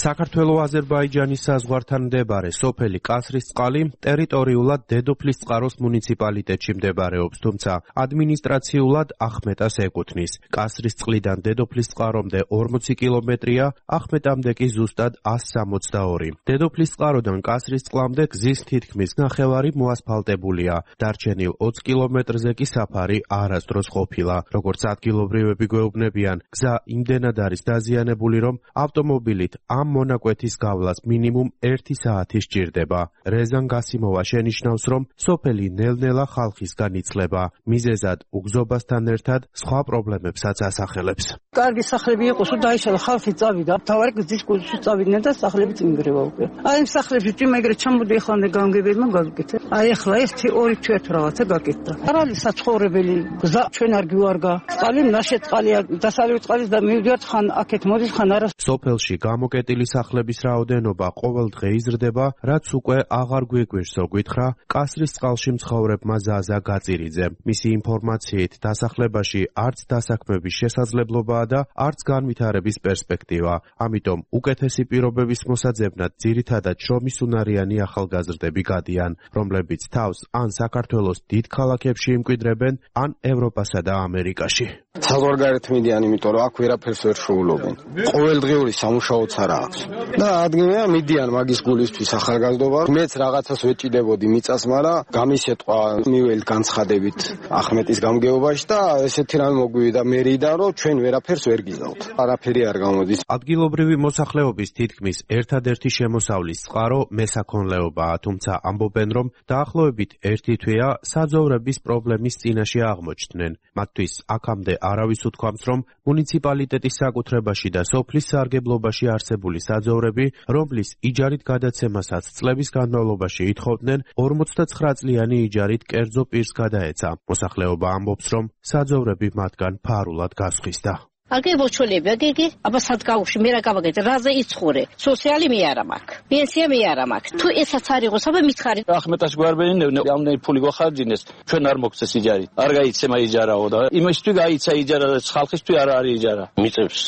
საქართველო-აზერბაიჯანის საზღვართან მდებარე სოფელი კასრისწყალი ტერიტორიულად დედოფლისწყაროს მუნიციპალიტეტში მდებარეობს, თუმცა ადმინისტრაციულად ახმეტას ეკუთვნის. კასრისწყლიდან დედოფლისწყარომდე 40 კილომეტრია, ახმეტამდე კი ზუსტად 162. დედოფლისწყაროდან კასრისწყლამდე გზის თითქმის ნახევარი მოასფალტებულია. დარჩენილ 20 კილომეტრზე კი საფარი არასდროს ყოფილა. როგორც ადგილობრივები გვეუბნებიან, გზა იმდენად არის დაზიანებული, რომ ავტომობილით ამ მონაკვეთის გავლას მინიმუმ 1 საათი სჭირდება. რეზან გასიმოვა შენიშნავს, რომ სოფელი ნელ-ნელა ხალხისგან იცლება. მიზეზად უგზობასთან ერთად სხვა პრობლემებსაც ასახელებს. კარგი სახლები იყოს, დაიშალა ხალხი წავიდა, თავარი გზის კუთხეში წავიდნენ და სახლები წინგრევა უკვე. აი ამ სახლებში წინ ეგრე ჩამოდი ეხლამდე განგებელმა გაგიკეთე. აი ახლა ეს 2 თვეათ რაღაცა გაკეთდა. არ არის საცხოვრებელი გზა, ჩვენ არ გვიوارგა. წყალი ნაშეთ წყალია, დასავლეთ წყალის და მივიდივართ ხან აქეთ მოდის ხან არა. სოფელში გამოკეტილი სახლების რაოდენობა ყოველ დღე იზრდება, რაც უკვე აღარ გვიგვირსო, გითხრა კასრისწყალში მცხოვრებმა ზაზა გაწირიძე. მისი ინფორმაციით, დასახლებაში არც დასაქმების შესაძლებლობაა და არც განვითარების პერსპექტივა. ამიტომ უკეთესი პირობების მოსაძებნად ძირითადად შრომისუნარიანი ახალგაზრდები გადიან, რომლებიც თავს ან საქართველოს დიდ ქალაქებში იმკვიდრებენ, ან ევროპასა და ამერიკაში. საზღვარგარეთ მიდიან, იმიტომ რომ აქ ვერაფერს ვერ შეულობენ. ყოველდღიური სამუშაოც არ აქვს. და ადგილია მიდიან მაგის გულისთვის ახალგაზრდობა. მეც რაღაცას ვეჭიდებოდი მიწას, მაგრამ გამისეთყვა მიველთ განცხადებით ახმეტის გამგეობაში და ესეთი რამე მოგვივიდა მერიდან, რომ ჩვენ ვერაფერს ვერ გიზავთ. არაფერი არ გამოდის. ადგილობრივი მოსახლეობის თითქმის ერთადერთი შემოსავლის წყარო მესაქონლეობაა, თუმცა ამბობენ, რომ დაახლოებით 1 თვეა საძოვრების პრობლემის წინაშე აღმოჩნდნენ. მათთვის აქამდე არავის უთქვამს, რომ მუნიციპალიტეტის საკუთრებაში და სოფლის სარგებლობაში არსებული საძოვრები, რომლის იჯარით გადაცემასაც წლების განმავლობაში ითხოვდნენ, 49 წლიანი იჯარით კერძო პირს გადაეცა. მოსახლეობა ამბობს, რომ საძოვრები მათგან ფარულად გასხვისდა. Agge bochole begege aba sadgaushi mera gavaged raze itsxure sosiali mi ara mak pensiya mi ara mak tu esac ari qos aba mitxari ახმეტას გვარბენინებდნენ ამდენი ფული გვახარჯინეს ჩვენ არ მოგწეს იჯარი არ გაიცემა იჯარაო და იმისთვის გაიცა იჯარა და ხალხისთვის არ არის იჯარა მიწებს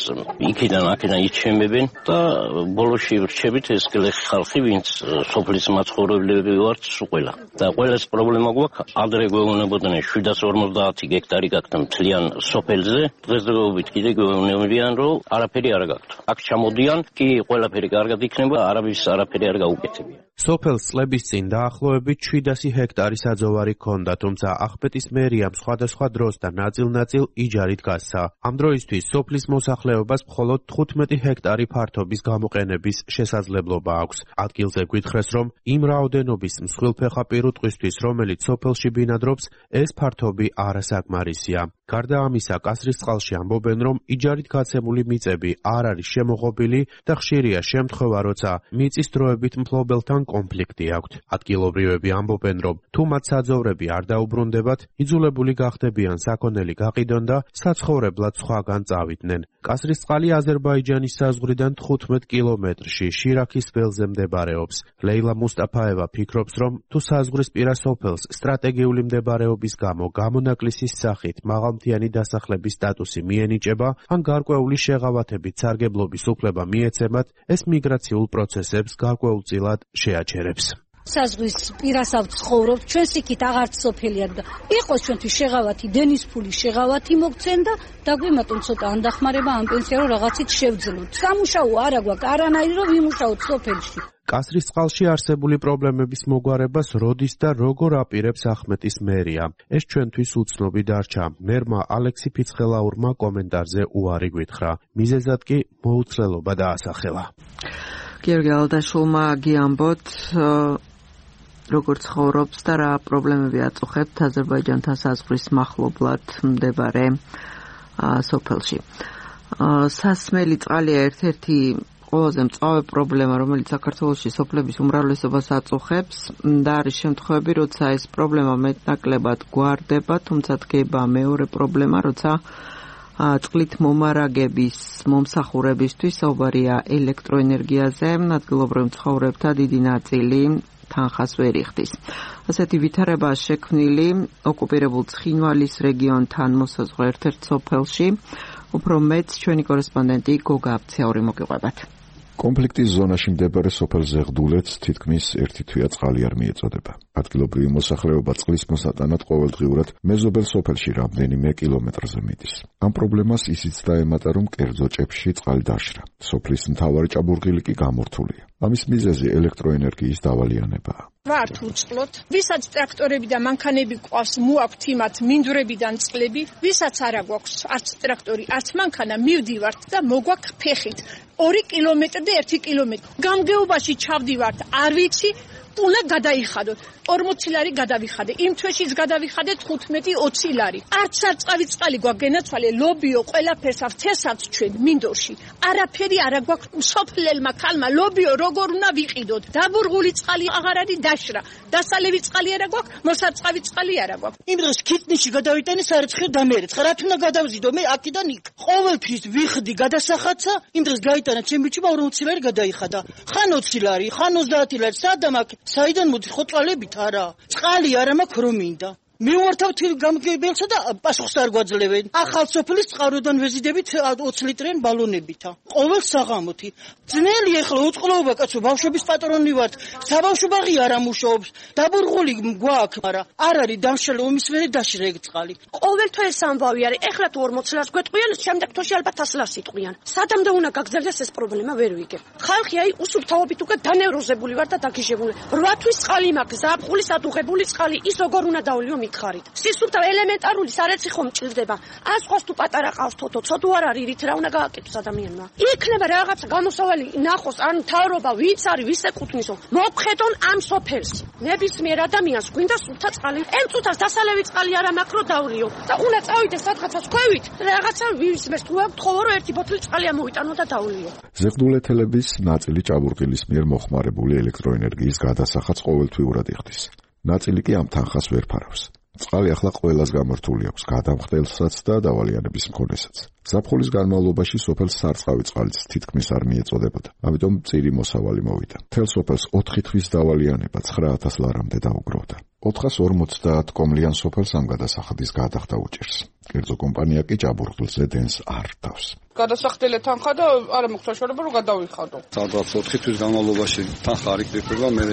იქიდან აქედან იჩემებენ და ბოლოში ვრჩებით ეს გლეხი ხალხი ვინც სოფლის მაცხოვრებლები ვართ ყველა და ყველას პრობლემა გვაქვს ადრე გვეუბნებოდნენ 750 გექტარი გაქვთ მთლიან სოფელზე დღესდღეობით კიდე გვეუბნებიან რომ არაფერი არ გაქვთ აქ ჩამოდიან კი ყველაფერი კარგად იქნება არავის არაფერი არ გაუკეთებია სოფელს წლების წინ დაახლოებით 700 ჰექტარი საძოვარი ჰქონდა, თუმცა ახმეტის მერიამ სხვადასხვა დროს და ნაწილ-ნაწილ იჯარით გასცა. ამ დროისთვის სოფლის მოსახლეობას მხოლოდ 15 ჰექტარი ფართობის გამოყენების შესაძლებლობა აქვს. ადგილზე გვითხრეს, რომ იმ რაოდენობის მსხვილფეხა პირუტყვისთვის, რომელიც სოფელში ბინადრობს, ეს ფართობი არასაკმარისია. გარდა ამისა, კასრისწყალში ამბობენ, რომ იჯარით გაცემული მიწები არ არის შემოღობილი და ხშირია შემთხვევა, როცა მიწის დროებით მფლობელთან კონფლიქტი აქვთ. ადგილობრივები ამბობენ, რომ თუ მათ საძოვრები არ დაუბრუნდებათ, იძულებული გახდებიან საქონელი გაყიდონ და საცხოვრებლად სხვაგან წავიდნენ. კასრისწყალი აზერბაიჯანის საზღვრიდან 15 კილომეტრში შირაქის ველზე მდებარეობს. ლეილა მუსტაფაევა ფიქრობს, რომ თუ საზღვრისპირა სოფელს სტრატეგიული მდებარეობის გამო გამონაკლისის სახით მაღალმთიანი დასახლების სტატუსი მიენიჭება, ან გარკვეული შეღავათებით სარგებლობის უფლება მიეცემათ, ეს მიგრაციულ პროცესებს გარკვეულწილად შეაჩერებს. საზღვის პირასავ ცხოვრობთ, ჩვენს იქით აღარც სოფელია და იყოს ჩვენთვის შეღავათი, დენის ფული შეღავათი მოგცენ და დაგვემატონ ცოტა ანდახმარება ამ პენსია რომ რაღაცით შევძლოთ. სამუშაო არა გვაქვს, არანაირი რომ ვიმუშაოთ სოფელში. კასრისწყალში არსებული პრობლემების მოგვარებას როდის და როგორ აპირებს ახმეტის მერია. ეს ჩვენთვის უცნობი დარჩა. მერმა ალექსი ფიცხელაურმა კომენტარზე უარი გვითხრა. მიზეზად კი მოუცლელობა დაასახელა. გიორგი ალდაშულმა გიამბოთ როგორ ცხოვრობს და რა პრობლემები აწუხებთ აზერბაიჯანთან საზღვრის მახლობლად მდებარე სოფელში. სასმელი წყალია ერთ-ერთი ყველაზე მწვავე პრობლემა, რომელიც საქართველოში სოფლების უმრავლესობას აწუხებს და არის შემთხვევები, როცა ეს პრობლემა მეტნაკლებად გვარდება, თუმცა დგება მეორე პრობლემა, როცა წყლით მომარაგების მომსახურებისთვის საუბარია ელექტროენერგიაზე, ადგილობრივ მცხოვრებთა დიდი ნაწილი თანხას ვერ იხდის. ასეთი ვითარება შექმნილი ოკუპირებულ ცხინვალის რეგიონთან მოსაზღვრე ერთ-ერთ სოფელში. უფრო მეც ჩვენი კორესპონდენტი გოგა აბცაური მოგიყვებათ. კონფლიქტის ზონაში მდებარე სოფელ ზეღდულეთს თითქმის ერთი თვია წყალი არ მიეწოდება. ადგილობრივი მოსახლეობა წყლის მოსატანად ყოველდღიურად მეზობელ სოფელში რამდენიმე კილომეტრზე მიდის. ამ პრობლემას ისიც დაემატა, რომ კერძო ჭებში წყალი დაშრა. სოფლის მთავარი ჭაბურღილი კი გამორთულია. ამის მიზეზი ელექტროენერგიის დავალიანებაა. ვართ უწყლოთ, ვისაც ტრაქტორები და მანქანები გვყავს, მოაქვთ იმათ მინდვრებიდან წყლები, ვისაც არა გვაქვს არც ტრაქტორი, არც მანქანა, მივდივართ და მოგვაქვს ფეხით 2 კილომეტრი და 1 კილომეტრი. გამგეობაში ჩავდივართ, არ ვიცი, უნდა გადაიხადოთ. 40 ლარი გადავიხადე. იმ თვეშიც გადავიხადე 15-20 ლარი. არც არწყავი წყალი გვაქვს გენაცვალე, ლობიო, ყველაფერს ავთესაც ჩვენ მინდორში. არაფერი არა გვაქვს სოფლელმა ქალმა, ლობიო როგორ უნდა ვიყიდოთ. დაბურღული წყალი აღარ არის დაშრა. დასალევი წყალი არა გვაქვს, მოსაწყავი წყალი არა გვაქვს. იმ დროს ქიტნიში გადავიტანე სარეცხელ დამერეცხ. რა თქმა გადავზიდო მე აქედან იქ. ყოველთვის ვიხდი გადასახაცა, იმ დროს გაიტანა ჩემი ბიჭმა 40 ლარი გადაიხადა. ხან 20 ლარი, ხან 30 ლარი, სადამ აქ საიდან მოდის ხოჭალებით არა. წყალი არა მაქვს რომ მინდა. მივართავთ გამგებელსა და პასუხს არ გვაძლევენ. ახალ სოფლის წყაროდან ვეზიდებით 20 ლიტრიან ბალონებითა. ყოველ საღამოთი. ძნელი ახლა უწყლოობა კაცო, ბავშვების პატრონი ვართ. საბავშვო ბაღი არ ამუშაობს. დაბურღული გვაქვს, მაგრამ არ არის დამშრალი ომის მერე დაშრა ეგ წყალი. ყოველთვის ეს ამბავი არის. ეხლა თუ 40 ლარს გვეტყვიან, შემდეგ თვეში ალბათ 100 ლარს იტყვიან. სადამდე უნდა გაგრძელდეს ეს პრობლემა ვერ ვიგებ. ხალხი აი უსუფთავობით უკვე დანევროზებული ვარ და დაგიჟებული. 8 თვის წყალი მაქვს, ზაფხულის ადუღებული წყალი, ის როგორ უნდა დავლიო მითხარით. სისუფთავ ელემენტარული სარეცი ხომ მჭირდება. ასყვას თუ პატარა ყავს თოთო, ცოდუ არ არის, რით რა უნდა გააკეთოს ადამიანმა. იქნება რაღაცა გამოსავალი ნახოს, ან თავრობა ვიც არის, ვის ეკუთვნისო. მოგხედონ ამ სოფელს. ნებისმიერ ადამიანს გვინდა სუფთა წყალი. ემწუთას დასალევი წყალი არა მაქვს რომ დავლიო. და უნდა წავიდე სადღაცაც ქვევით, რაღაცა ვისმეს თუ აქვს ხოლო რომ 1 ბოთლი წყალი ამოვიტანო და დავლიო. ზეღდულეთელების ნაწილი ჭაბურღილის მიერ მოხმარებული ელექტროენერგიის გადასახადს ყოველთვიურად იხდის. ნაწილი კი ამ თანხას ვერ ფარავს. წყალი ახლა ყველას გამორთული აქვს, გადამხდელსაც და დავალიანების მქონესაც. ზაფხულის განმავლობაში სოფელს სარწყავი წყალიც თითქმის არ მიეწოდებოდა. ამიტომ წირი მოსავალი მოვიდა. მთელ სოფელს 4 თვის დავალიანება 9000 ლარამდე დაუგროვდა. 450 კომლიან სოფელს ამ გადასახადის გადახდა უჭერს. კერძო კომპანია კი ჭაბურღილზე დენს არ რთავს. გადასახდელი თანხა და არა მაქვს საშუალება რომ გადავიხადო. სადღაც 4 თვის განმავლობაში თანხა არ იკრიფება, მე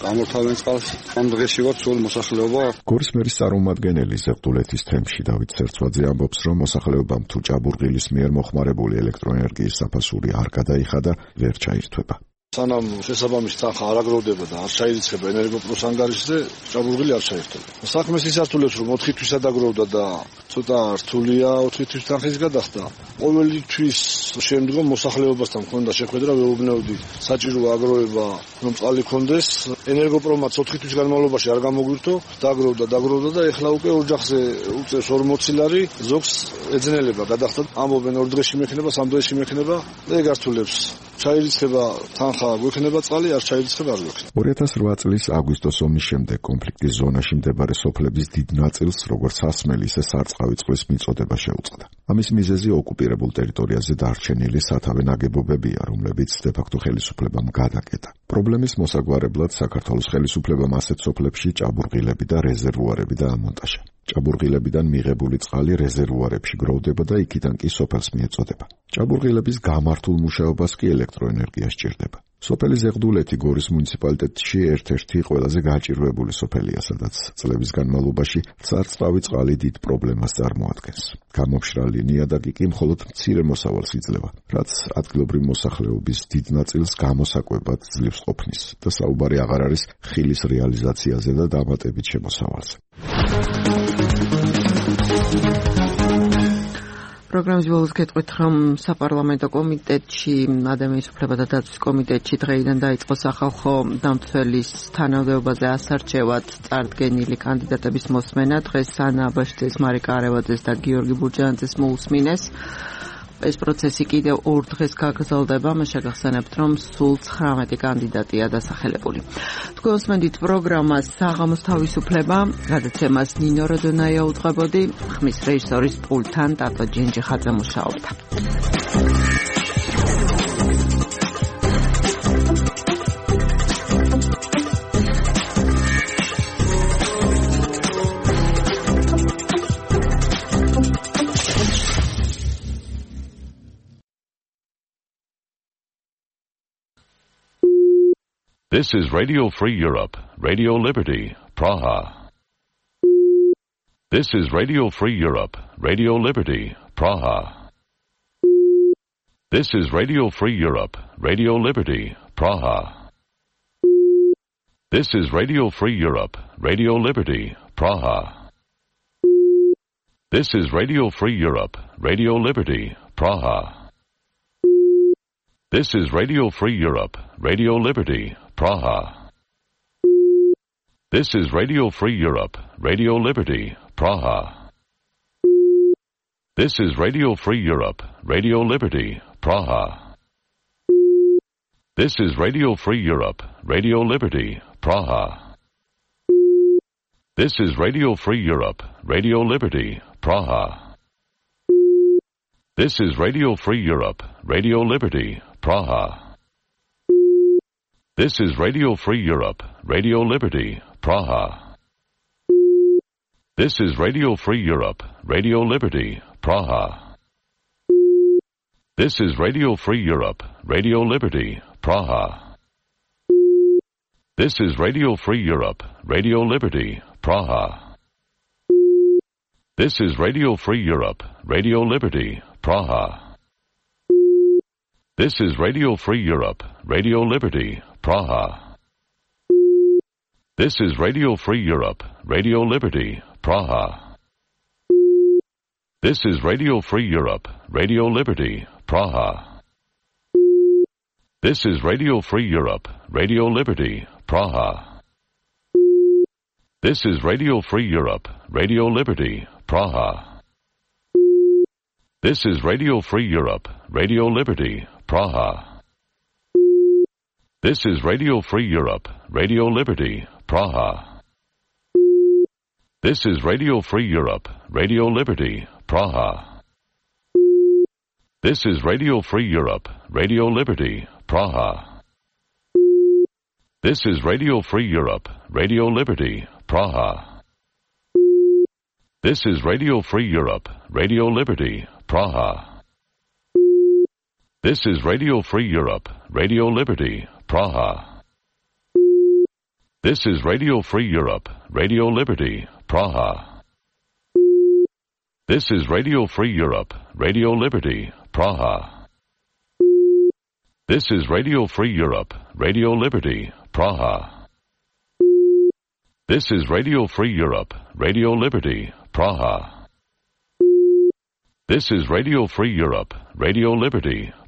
გამორთავენ წყალს. ამ დღეში ვარ სულ მოსახლეობა. გორის მერის წარმომადგენელი ზეღდულეთის თემში დავით სერცვაძე ამბობს, რომ მოსახლეობამ თუ ჭაბურღილის მიერ მოხმარებული ელექტროენერგიის საფასური არ გადაიხადა, ვერ ჩაირთვება. სანამ შესაბამისი თანხა არ აგროვდება და არ ჩაირიცხება ენერგოპლუს ანგარიშზე, ჭაბურღილი არ ჩაირთვება. საქმეს ის ართულებს, რომ 4 თვისა დაგროვდა და ცოტა რთულია 4 თვის თანხის გადახდა. ყოველი თვის შემდგომ მოსახლეობასთან მქონდა შეხვედრა, ვეუბნევდი საჭირო აგროვება, რომ წყალი ქონდეს. ენერგოპრომაც 4 თვის განმავლობაში არ გამოგვირთო, დაგროვდა და ეხლა უკვე ოჯახზე უწევს 40 ლარი, ზოგს ეძნელება გადახდა. ამბობენ 2 დღეში მექნება, 3 დღეში მექნება და ეგ ართულებს. ჩაირიცხება თანხა გვექნება წყალი, არ ჩაირიცხება არ გვექნება. 2008 წლის აგვისტოს ომის შემდეგ კონფლიქტის ზონაში მდებარე სოფლების დიდ ნაწილს როგორც სასმელი, ისე სარწყავი წყლის მიწოდება შეუწყდა. ამის მიზეზი ოკუპირებულ ტერიტორიაზე დარჩენილი სათავე ნაგებობებია, რომლებიც დე-ფაქტო ხელისუფლებამ გადაკეტა. პრობლემის მოსაგვარებლად საქართველოს ხელისუფლებამ ასეთ სოფლებში ჭაბურღილები და რეზერვუარები დაამონტაჟა. ჭაბურღილებიდან მიღებული წყალი რეზერვუარებში გროვდება და იქიდან კი სოფელს მიეწოდება. ჭაბურღილების გამართულ მუშაობას კი ელექტროენერგია სჭირდება. სოფელი ზეღდულეთი გორის მუნიციპალიტეტში ერთ-ერთი ყველაზე გაჭირვებული სოფელია, სადაც წლების განმავლობაში სარწყავი წყალი დიდ პრობლემას წარმოადგენს. გამომშრალი ნიადაგი კი მხოლოდ მცირე მოსავალს იძლევა, რაც ადგილობრივ მოსახლეობის დიდ ნაწილს გამოსაკვებად ძლივს ყოფნის და საუბარი აღარ არის ხილის რეალიზაციაზე და დამატებით შემოსავალზე. პროგრამის ბოლოს გეტყვით, რომ საპარლამენტო კომიტეტში, ადამიანის უფლებათა დაცვის კომიტეტში დღეიდან დაიწყო სახალხო დამცველის თანამდებობაზე ასარჩევად წარდგენილი კანდიდატების მოსმენა. დღეს ანა აბაშიძეს, მარიკა არევაძეს და გიორგი ბურჯანაძეს მოусმინეს. ეს პროცესი კიდევ 2 დღეს გაგრძელდება, მე შეგახსენებთ, რომ სულ 19 კანდიდატია დასახელებული. თქვენს მენდით პროგრამა საღამოს თავისუფლება, გადაცემას ნინო როდონაია უძღვებოდი, ხმის რეჟისორის პულტთან ტატო ჯენჯიხაძე მუშაობდა. This is Radio Free Europe, Radio Liberty, Praha. This is Radio Free Europe, Radio Liberty, Praha. This is Radio Free Europe, Radio Liberty, Praha. This is Radio Free Europe, Radio Liberty, Praha. This is Radio Free Europe, Radio Liberty, Praha. This is Radio Free Europe, Radio Liberty, Praha. This is Radio Free Europe, Radio Liberty, Praha. This is Radio Free Europe, Radio Liberty, Praha. This is Radio Free Europe, Radio Liberty, Praha. This is Radio Free Europe, Radio Liberty, Praha. This is Radio Free Europe, Radio Liberty, Praha. This is Radio Free Europe, Radio Liberty, Praha. This is Radio Free Europe, Radio Liberty, Praha. This is Radio Free Europe, Radio Liberty, Praha. This is Radio Free Europe, Radio Liberty, Praha. This is Radio Free Europe, Radio Liberty, Praha. This is Radio Free Europe, Radio Liberty, Praha. This is Radio Free Europe, Radio Liberty, Praha. This is Radio Free Europe, Radio Liberty, Praha. This is Radio Free Europe, Radio Liberty, Praha. This is Radio Free Europe, Radio Liberty, Praha. This is Radio Free Europe, Radio Liberty, Praha. This is Radio Free Europe, Radio Liberty, Praha. This is Radio Free Europe, Radio Liberty, Praha. This is Radio Free Europe, Radio Liberty, Praha. This is Radio Free Europe, Radio Liberty, Praha. This is Radio Free Europe, Radio Liberty, Praha. This is Radio Free Europe, Radio Liberty, Praha. This is Radio Free Europe, Radio Liberty, Praha. This is Radio Free Europe, Radio Liberty, Praha. This is Radio Free Europe, Radio Liberty, Praha. This is Radio Free Europe, Radio Liberty, Praha. This is Radio Free Europe, Radio Liberty,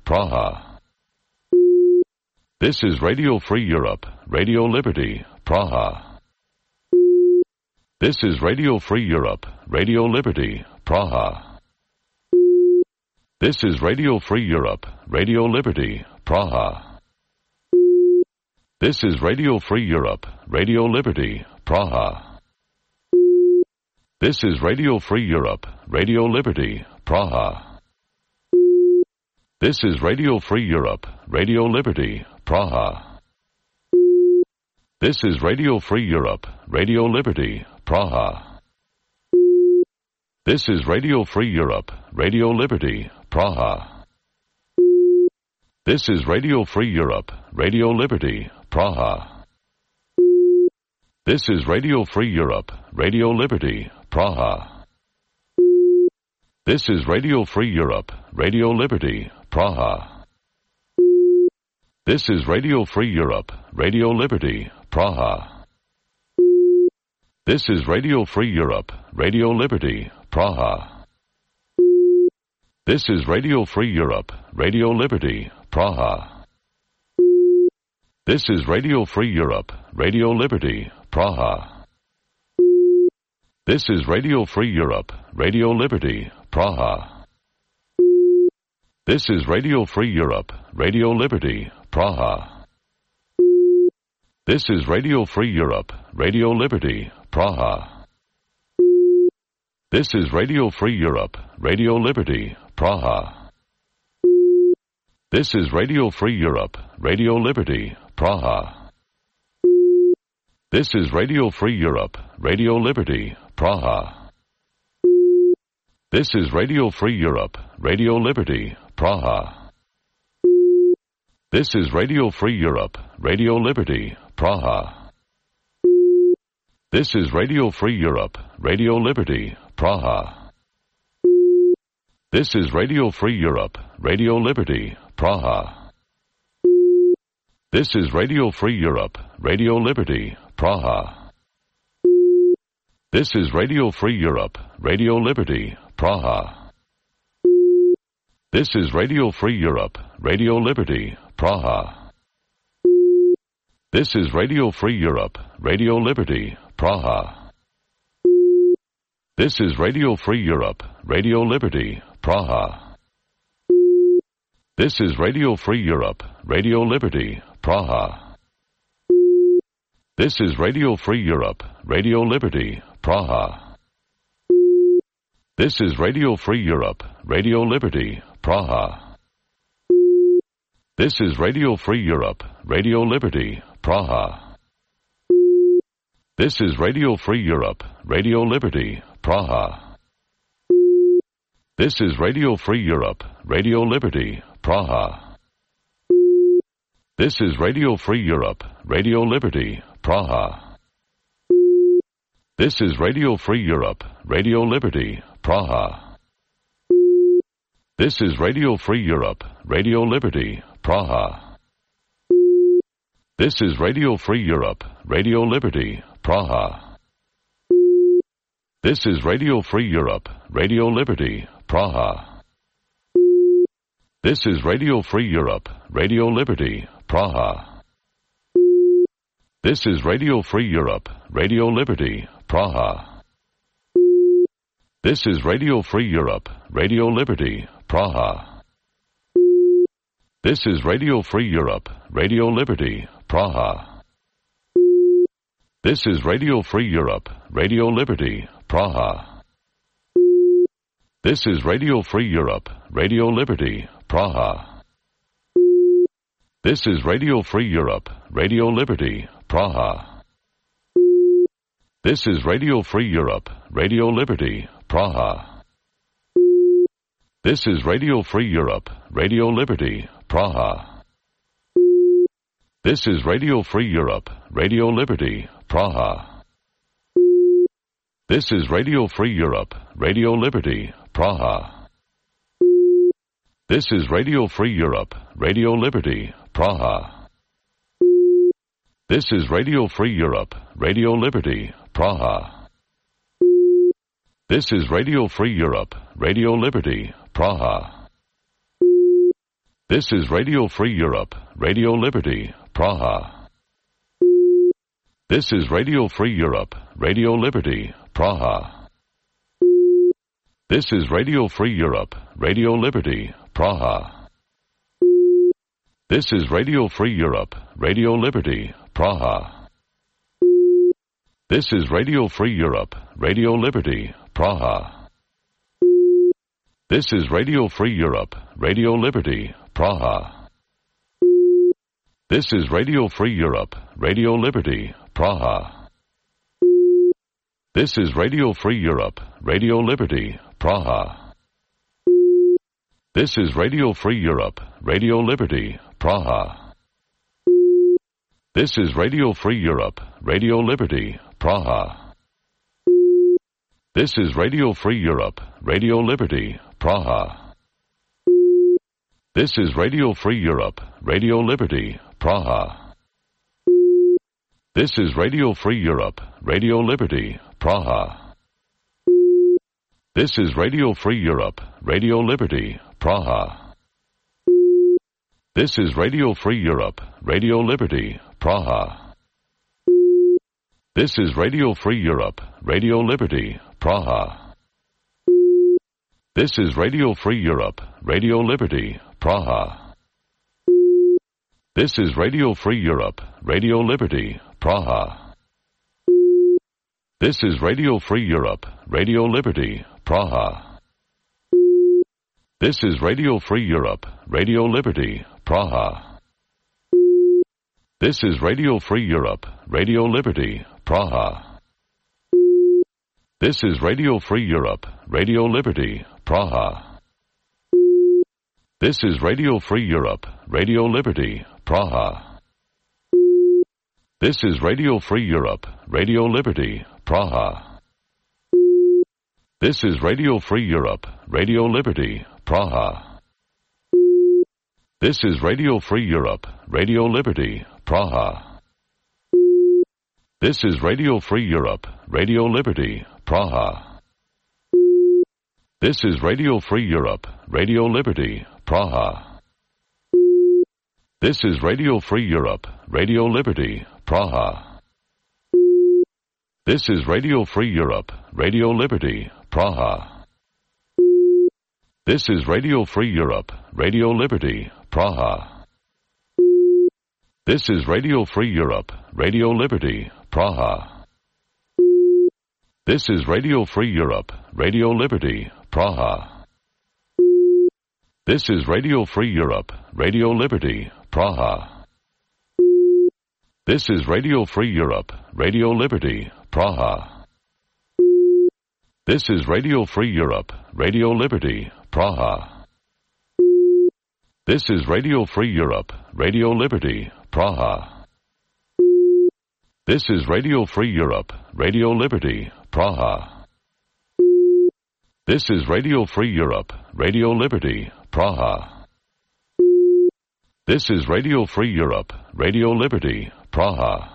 Praha. This is Radio Free Europe, Radio Liberty, Praha. This is Radio Free Europe, Radio Liberty, Praha. This is Radio Free Europe, Radio Liberty, Praha. This is Radio Free Europe, Radio Liberty, Praha. This is Radio Free Europe, Radio Liberty, Praha. This is Radio Free Europe, Radio Liberty, Praha. This is Radio Free Europe, Radio Liberty, Praha. This is Radio Free Europe, Radio Liberty, Praha. This is Radio Free Europe, Radio Liberty, Praha. This is Radio Free Europe, Radio Liberty, Praha. This is Radio Free Europe, Radio Liberty, Praha. This is Radio Free Europe, Radio Liberty, Praha. This is Radio Free Europe, Radio Liberty, Praha. This is Radio Free Europe, Radio Liberty, Praha. This is Radio Free Europe, Radio Liberty, Praha. This is Radio Free Europe, Radio Liberty, Praha. This is Radio Free Europe, Radio Liberty, Praha. This is Radio Free Europe, Radio Liberty, Praha. This is Radio Free Europe, Radio Liberty, Praha. This is Radio Free Europe, Radio Liberty, Praha. This is Radio Free Europe, Radio Liberty, Praha. This is Radio Free Europe, Radio Liberty, Praha. This is Radio Free Europe, Radio Liberty, Praha. This is Radio Free Europe, Radio Liberty, Praha. This is Radio Free Europe, Radio Liberty, Praha. This is Radio Free Europe, Radio Liberty, Praha. This is Radio Free Europe, Radio Liberty, Praha. This is Radio Free Europe, Radio Liberty, Praha. This is Radio Free Europe, Radio Liberty, Praha. This is Radio Free Europe, Radio Liberty, Praha. This is Radio Free Europe, Radio Liberty, Praha. This is Radio Free Europe, Radio Liberty, Praha. This is Radio Free Europe, Radio Liberty, Praha. This is Radio Free Europe, Radio Liberty, Praha. This is Radio Free Europe, Radio Liberty, Praha. This is Radio Free Europe, Radio Liberty, Praha. This is Radio Free Europe, Radio Liberty, Praha. This is Radio Free Europe, Radio Liberty, Praha. This is Radio Free Europe, Radio Liberty, Praha. This is Radio Free Europe, Radio Liberty, Praha. This is Radio Free Europe, Radio Liberty, Praha. This is Radio Free Europe, Radio Liberty, Praha. This is Radio Free Europe, Radio Liberty, Praha. This is Radio Free Europe, Radio Liberty, Praha. This is Radio Free Europe, Radio Liberty, Praha. This is Radio Free Europe, Radio Liberty, Praha. This is Radio Free Europe, Radio Liberty, Praha. This is Radio Free Europe, Radio Liberty, Praha. This is Radio Free Europe, Radio Liberty, Praha. This is Radio Free Europe, Radio Liberty, Praha. This is Radio Free Europe, Radio Liberty, Praha. This is Radio Free Europe, Radio Liberty, Praha. This is Radio Free Europe, Radio Liberty, Praha. This is Radio Free Europe, Radio Liberty, Praha. This is Radio Free Europe, Radio Liberty, Praha. This is Radio Free Europe, Radio Liberty, Praha. This is Radio Free Europe, Radio Liberty, Praha. This is Radio Free Europe, Radio Liberty, Praha. This is Radio Free Europe, Radio Liberty, Praha. This is Radio Free Europe, Radio Liberty, Praha. This is Radio Free Europe, Radio Liberty, Praha. This is Radio Free Europe, Radio Liberty, Praha. This is Radio Free Europe, Radio Liberty, Praha. This is Radio Free Europe, Radio Liberty, Praha. This is Radio Free Europe, Radio Liberty, Praha. This is Radio Free Europe, Radio Liberty, Praha. This is Radio Free Europe, Radio Liberty, Praha. This is Radio Free Europe, Radio Liberty, Praha. This is Radio Free Europe, Radio Liberty, Praha. This is Radio Free Europe, Radio Liberty, Praha. This is Radio Free Europe, Radio Liberty, Praha. This is Radio Free Europe, Radio Liberty, Praha. This is Radio Free Europe, Radio Liberty, Praha. This is Radio Free Europe, Radio Liberty, Praha. This is Radio Free Europe, Radio Liberty, Praha. This is Radio Free Europe, Radio Liberty, Praha. This is Radio Free Europe, Radio Liberty, Praha. This is Radio Free Europe, Radio Liberty, Praha. This is Radio Free Europe, Radio Liberty, Praha. This is Radio Free Europe, Radio Liberty, Praha. This is Radio Free Europe, Radio Liberty, Praha. This is Radio Free Europe, Radio Liberty, Praha. This is Radio Free Europe, Radio Liberty, Praha. This is Radio Free Europe, Radio Liberty, Praha. This is Radio Free Europe, Radio Liberty, Praha. This is Radio Free Europe, Radio Liberty, Praha. This is Radio Free Europe, Radio Liberty, Praha. This is Radio Free Europe, Radio Liberty, Praha. This is Radio Free Europe, Radio Liberty, Praha. This is Radio Free Europe, Radio Liberty, Praha. This is Radio Free Europe, Radio Liberty, Praha. This is Radio Free Europe, Radio Liberty, Praha. This is Radio Free Europe, Radio Liberty, Praha. This is Radio Free Europe, Radio Liberty, Praha. This is Radio Free Europe, Radio Liberty, Praha.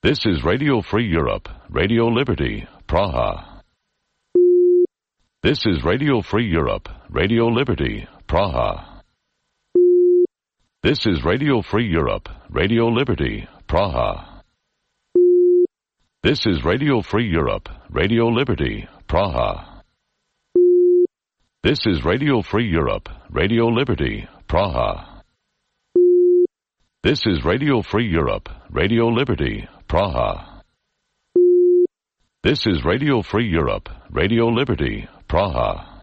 This is Radio Free Europe, Radio Liberty, Praha. This is Radio Free Europe, Radio Liberty, Praha. This is Radio Free Europe, Radio Liberty, Praha. This is Radio Free Europe, Radio Liberty, Praha. This is Radio Free Europe, Radio Liberty, Praha. This is Radio Free Europe, Radio Liberty, Praha. This is Radio Free Europe, Radio Liberty, Praha.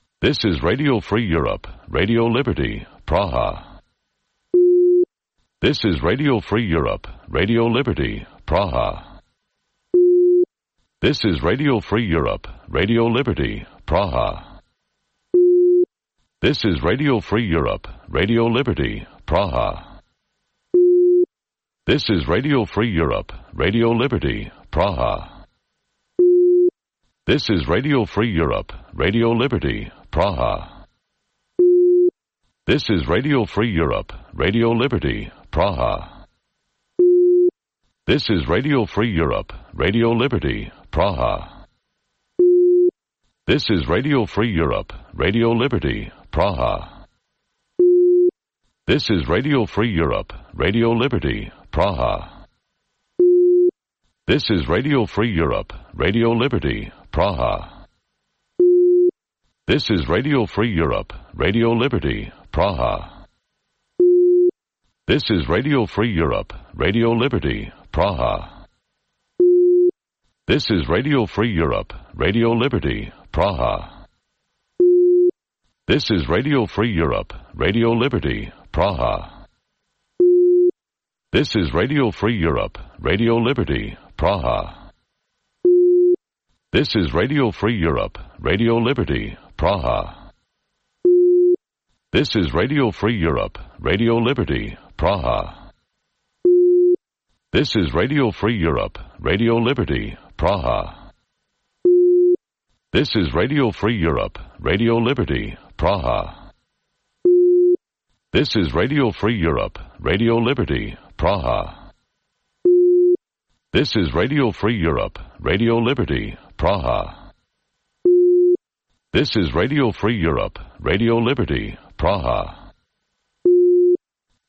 This is Radio Free Europe, Radio Liberty, Praha. This is Radio Free Europe, Radio Liberty, Praha. This is Radio Free Europe, Radio Liberty, Praha. This is Radio Free Europe, Radio Liberty, Praha. This is Radio Free Europe, Radio Liberty, Praha. This is Radio Free Europe, Radio Liberty, Praha. This is Radio Free Europe, Radio Liberty, Praha. This is Radio Free Europe, Radio Liberty, Praha. This is Radio Free Europe, Radio Liberty, Praha. This is Radio Free Europe, Radio Liberty, Praha. This is Radio Free Europe, Radio Liberty, Praha. This is Radio Free Europe, Radio Liberty, Praha. This is Radio Free Europe, Radio Liberty, Praha. This is Radio Free Europe, Radio Liberty, Praha. This is Radio Free Europe, Radio Liberty, Praha. This is Radio Free Europe, Radio Liberty, Praha. This is Radio Free Europe, Radio Liberty, Praha. This is Radio Free Europe, Radio Liberty, Praha. This is Radio Free Europe, Radio Liberty, Praha. This is Radio Free Europe, Radio Liberty, Praha. This is Radio Free Europe, Radio Liberty, Praha. This is Radio Free Europe, Radio Liberty, Praha. This is Radio Free Europe, Radio Liberty, Praha.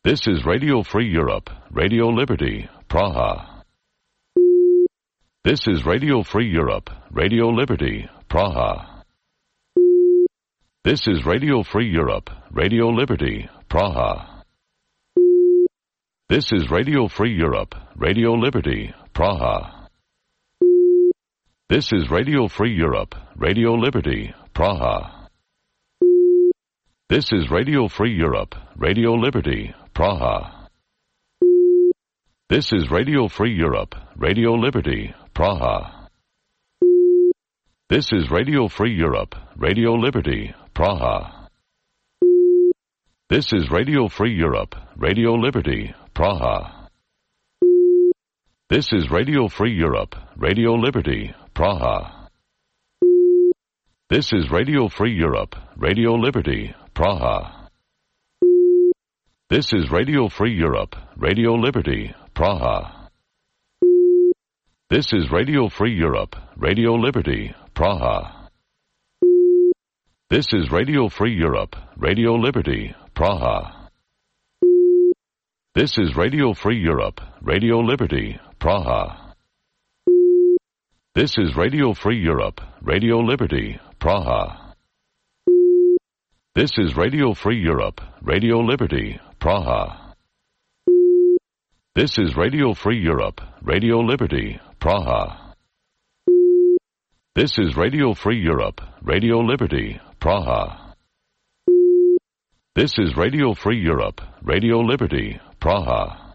This is Radio Free Europe, Radio Liberty, Praha. This is Radio Free Europe, Radio Liberty, Praha. This is Radio Free Europe, Radio Liberty, Praha. This is Radio Free Europe, Radio Liberty, Praha. This is Radio Free Europe, Radio Liberty, Praha. This is Radio Free Europe, Radio Liberty, Praha. This is Radio Free Europe, Radio Liberty, Praha. This is Radio Free Europe, Radio Liberty, Praha. This is Radio Free Europe, Radio Liberty, Praha. This is Radio Free Europe, Radio Liberty, Praha. This is Radio Free Europe, Radio Liberty, Praha. This is Radio Free Europe, Radio Liberty, Praha. This is Radio Free Europe, Radio Liberty, Praha. This is Radio Free Europe, Radio Liberty, Praha. This is Radio Free Europe, Radio Liberty, Praha. This is Radio Free Europe, Radio Liberty, Praha. This is Radio Free Europe, Radio Liberty, Praha. This is Radio Free Europe, Radio Liberty, Praha. This is Radio Free Europe, Radio Liberty, Praha. This is Radio Free Europe, Radio Liberty, Praha.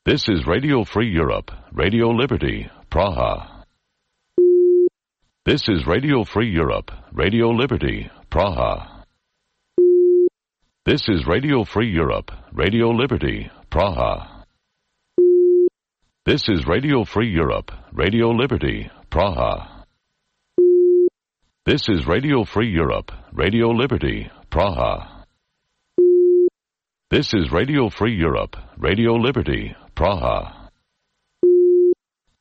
This is Radio Free Europe, Radio Liberty, Praha. This is Radio Free Europe, Radio Liberty, Praha. This is Radio Free Europe, Radio Liberty, Praha. This is Radio Free Europe, Radio Liberty, Praha. This is Radio Free Europe, Radio Liberty, Praha. This is Radio Free Europe, Radio Liberty, Praha.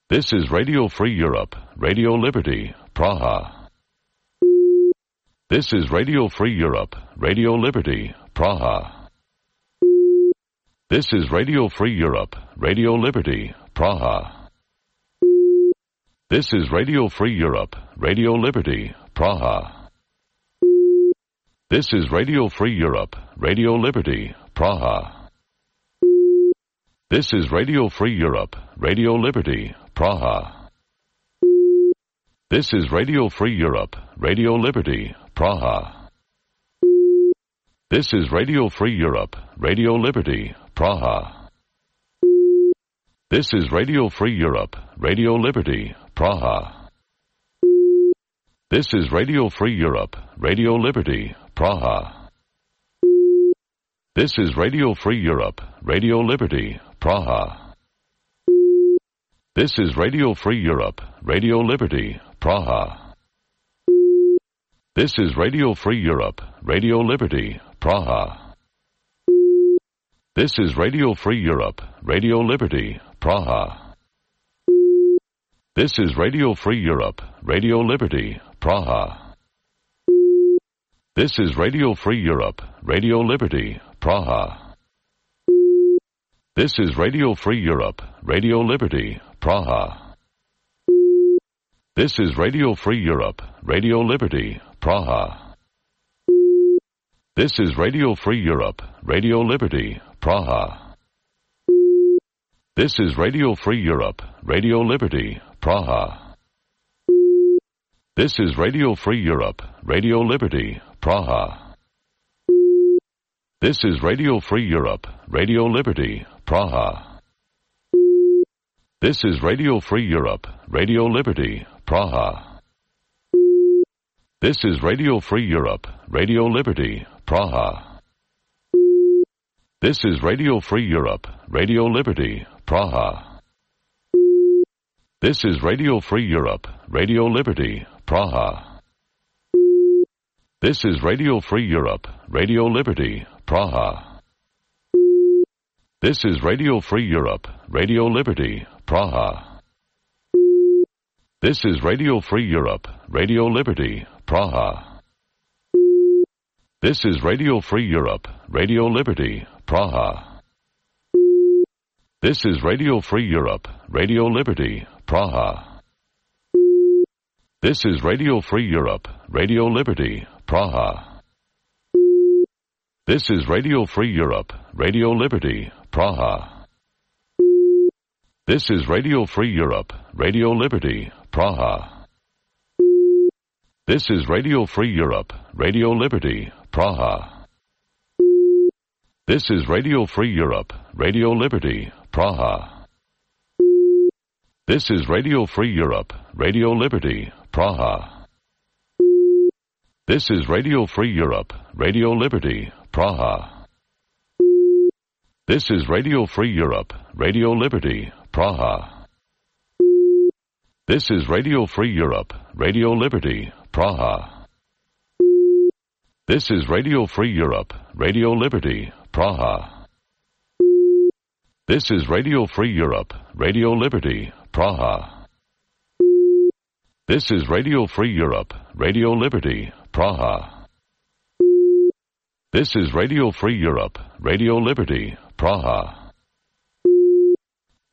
This is Radio Free Europe, Radio Liberty, Praha. This is Radio Free Europe, Radio Liberty, Praha. This is Radio Free Europe, Radio Liberty, Praha. This is Radio Free Europe, Radio Liberty, Praha. This is Radio Free Europe, Radio Liberty, Praha. This is Radio Free Europe, Radio Liberty, Praha. This is Radio Free Europe, Radio Liberty, Praha. This is Radio Free Europe, Radio Liberty, Praha. This is Radio Free Europe, Radio Liberty, Praha. This is Radio Free Europe, Radio Liberty, Praha. This is Radio Free Europe, Radio Liberty, Praha. This is Radio Free Europe, Radio Liberty, Praha. This is Radio Free Europe, Radio Liberty, Praha. This is Radio Free Europe, Radio Liberty, Praha. This is Radio Free Europe, Radio Liberty, Praha. This is Radio Free Europe, Radio Liberty, Praha. This is Radio Free Europe, Radio Liberty, Praha. This is Radio Free Europe, Radio Liberty, Praha. This is Radio Free Europe, Radio Liberty, Praha. This is Radio Free Europe, Radio Liberty, Praha. This is Radio Free Europe, Radio Liberty, Praha. This is Radio Free Europe, Radio Liberty, Praha. This is Radio Free Europe, Radio Liberty, Praha. This is Radio Free Europe, Radio Liberty, Praha. This is Radio Free Europe, Radio Liberty, Praha. This is Radio Free Europe, Radio Liberty, Praha. This is Radio Free Europe, Radio Liberty, Praha. This is Radio Free Europe, Radio Liberty, Praha. This is Radio Free Europe, Radio Liberty, Praha. This is Radio Free Europe, Radio Liberty, Praha. This is Radio Free Europe, Radio Liberty, Praha. This is Radio Free Europe, Radio Liberty, Praha. This is Radio Free Europe, Radio Liberty, Praha. This is Radio Free Europe, Radio Liberty, Praha. This is Radio Free Europe, Radio Liberty, Praha. This is Radio Free Europe, Radio Liberty, Praha. This is Radio Free Europe, Radio Liberty, Praha. This is Radio Free Europe, Radio Liberty, Praha. This is Radio Free Europe, Radio Liberty, Praha. This is Radio Free Europe, Radio Liberty, Praha. This is Radio Free Europe, Radio Liberty, Praha. This is Radio Free Europe, Radio Liberty, Praha. This is Radio Free Europe, Radio Liberty, Praha. This is Radio Free Europe, Radio Liberty, Praha.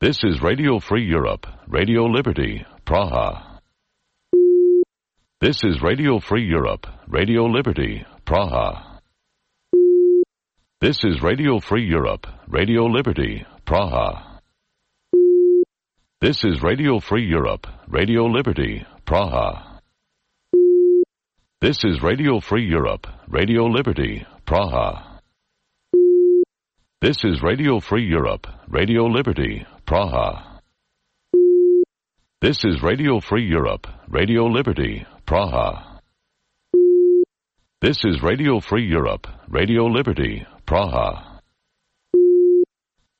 This is Radio Free Europe, Radio Liberty, Praha. This is Radio Free Europe, Radio Liberty, Praha. This is Radio Free Europe, Radio Liberty, Praha. This is Radio Free Europe, Radio Liberty, Praha. This is Radio Free Europe, Radio Liberty, Praha. This is Radio Free Europe, Radio Liberty, Praha. This is Radio Free Europe, Radio Liberty, Praha. This is Radio Free Europe, Radio Liberty, Praha.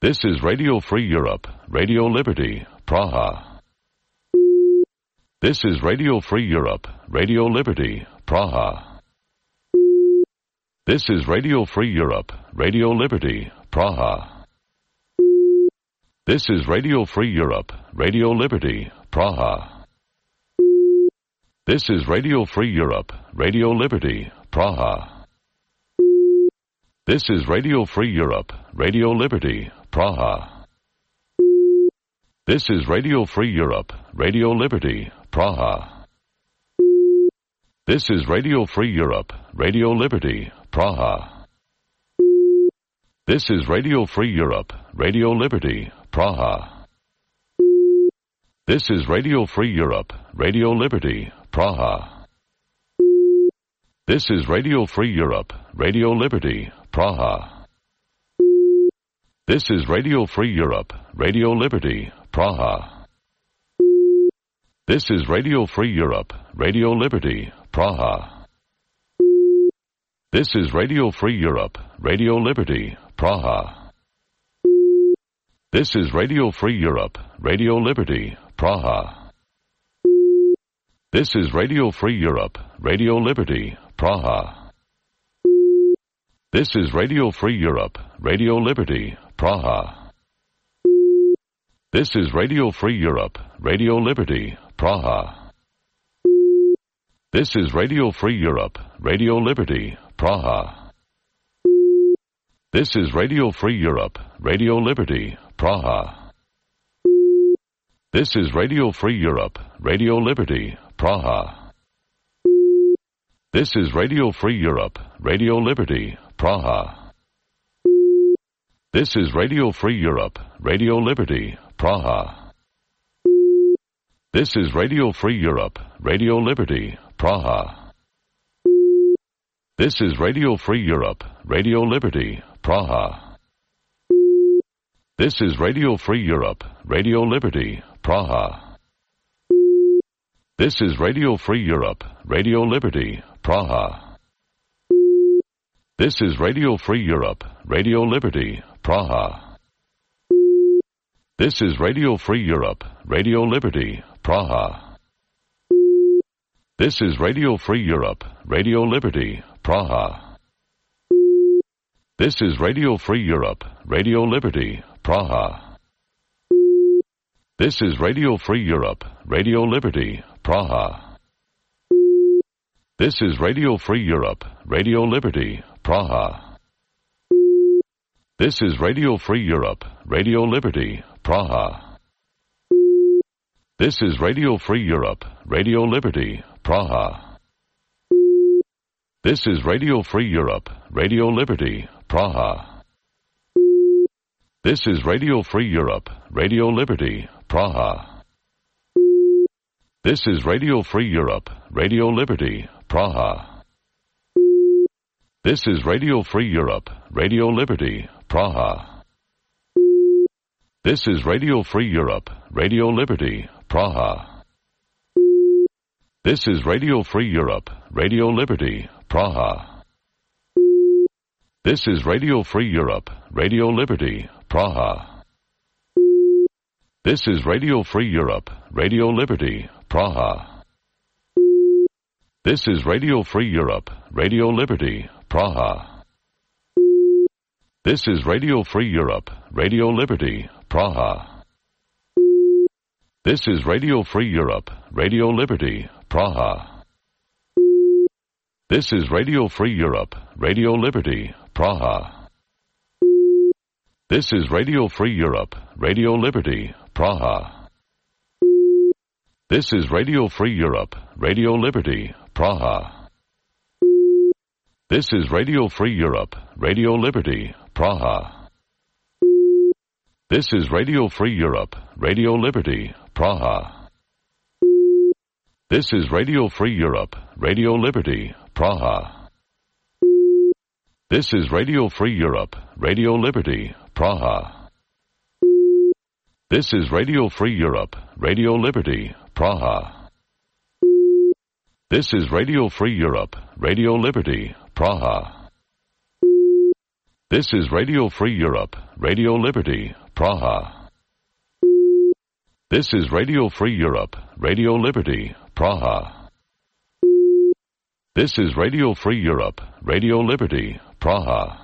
This is Radio Free Europe, Radio Liberty, Praha. This is Radio Free Europe, Radio Liberty, Praha. This is Radio Free Europe, Radio Liberty, Praha. This is Radio Free Europe, Radio Liberty, Praha. This is Radio Free Europe, Radio Liberty, Praha. This is Radio Free Europe, Radio Liberty, Praha. This is Radio Free Europe, Radio Liberty, Praha. This is Radio Free Europe, Radio Liberty, Praha. This is Radio Free Europe, Radio Liberty, Praha. This is Radio Free Europe, Radio Liberty, Praha. This is Radio Free Europe, Radio Liberty, Praha. This is Radio Free Europe, Radio Liberty, Praha. This is Radio Free Europe, Radio Liberty, Praha. This is Radio Free Europe, Radio Liberty, Praha. This is Radio Free Europe, Radio Liberty, Praha. This is Radio Free Europe, Radio Liberty, Praha. This is Radio Free Europe, Radio Liberty, Praha. This is Radio Free Europe, Radio Liberty, Praha. This is Radio Free Europe, Radio Liberty, Praha. This is Radio Free Europe, Radio Liberty, Praha. This is Radio Free Europe, Radio Liberty, Praha. This is Radio Free Europe, Radio Liberty, Praha. This is Radio Free Europe, Radio Liberty, Praha. This is Radio Free Europe, Radio Liberty, Praha. This is Radio Free Europe, Radio Liberty, Praha. This is Radio Free Europe, Radio Liberty, Praha. This is Radio Free Europe, Radio Liberty, Praha. This is Radio Free Europe, Radio Liberty, Praha. This is Radio Free Europe, Radio Liberty, Praha. This is Radio Free Europe, Radio Liberty, Praha. This is Radio Free Europe, Radio Liberty, Praha. This is Radio Free Europe, Radio Liberty, Praha. This is Radio Free Europe, Radio Liberty, Praha. This is Radio Free Europe, Radio Liberty, Praha. This is Radio Free Europe, Radio Liberty, Praha. This is Radio Free Europe, Radio Liberty, Praha. This is Radio Free Europe, Radio Liberty, Praha. This is Radio Free Europe, Radio Liberty, Praha. This is Radio Free Europe, Radio Liberty, Praha. This is Radio Free Europe, Radio Liberty, Praha. This is Radio Free Europe, Radio Liberty, Praha. This is Radio Free Europe, Radio Liberty, Praha. This is Radio Free Europe, Radio Liberty, Praha. This is Radio Free Europe, Radio Liberty, Praha. This is Radio Free Europe, Radio Liberty, Praha. This is Radio Free Europe, Radio Liberty, Praha. This is Radio Free Europe, Radio Liberty, Praha. This is Radio Free Europe, Radio Liberty, Praha. This is Radio Free Europe, Radio Liberty, Praha. This is Radio Free Europe, Radio Liberty, Praha. This is Radio Free Europe, Radio Liberty, Praha. This is Radio Free Europe, Radio Liberty, Praha. This is Radio Free Europe, Radio Liberty, Praha. This is Radio Free Europe, Radio Liberty, Praha. This is Radio Free Europe, Radio Liberty, Praha. This is Radio Free Europe, Radio Liberty, Praha. This is Radio Free Europe, Radio Liberty, Praha. This is Radio Free Europe, Radio Liberty, Praha.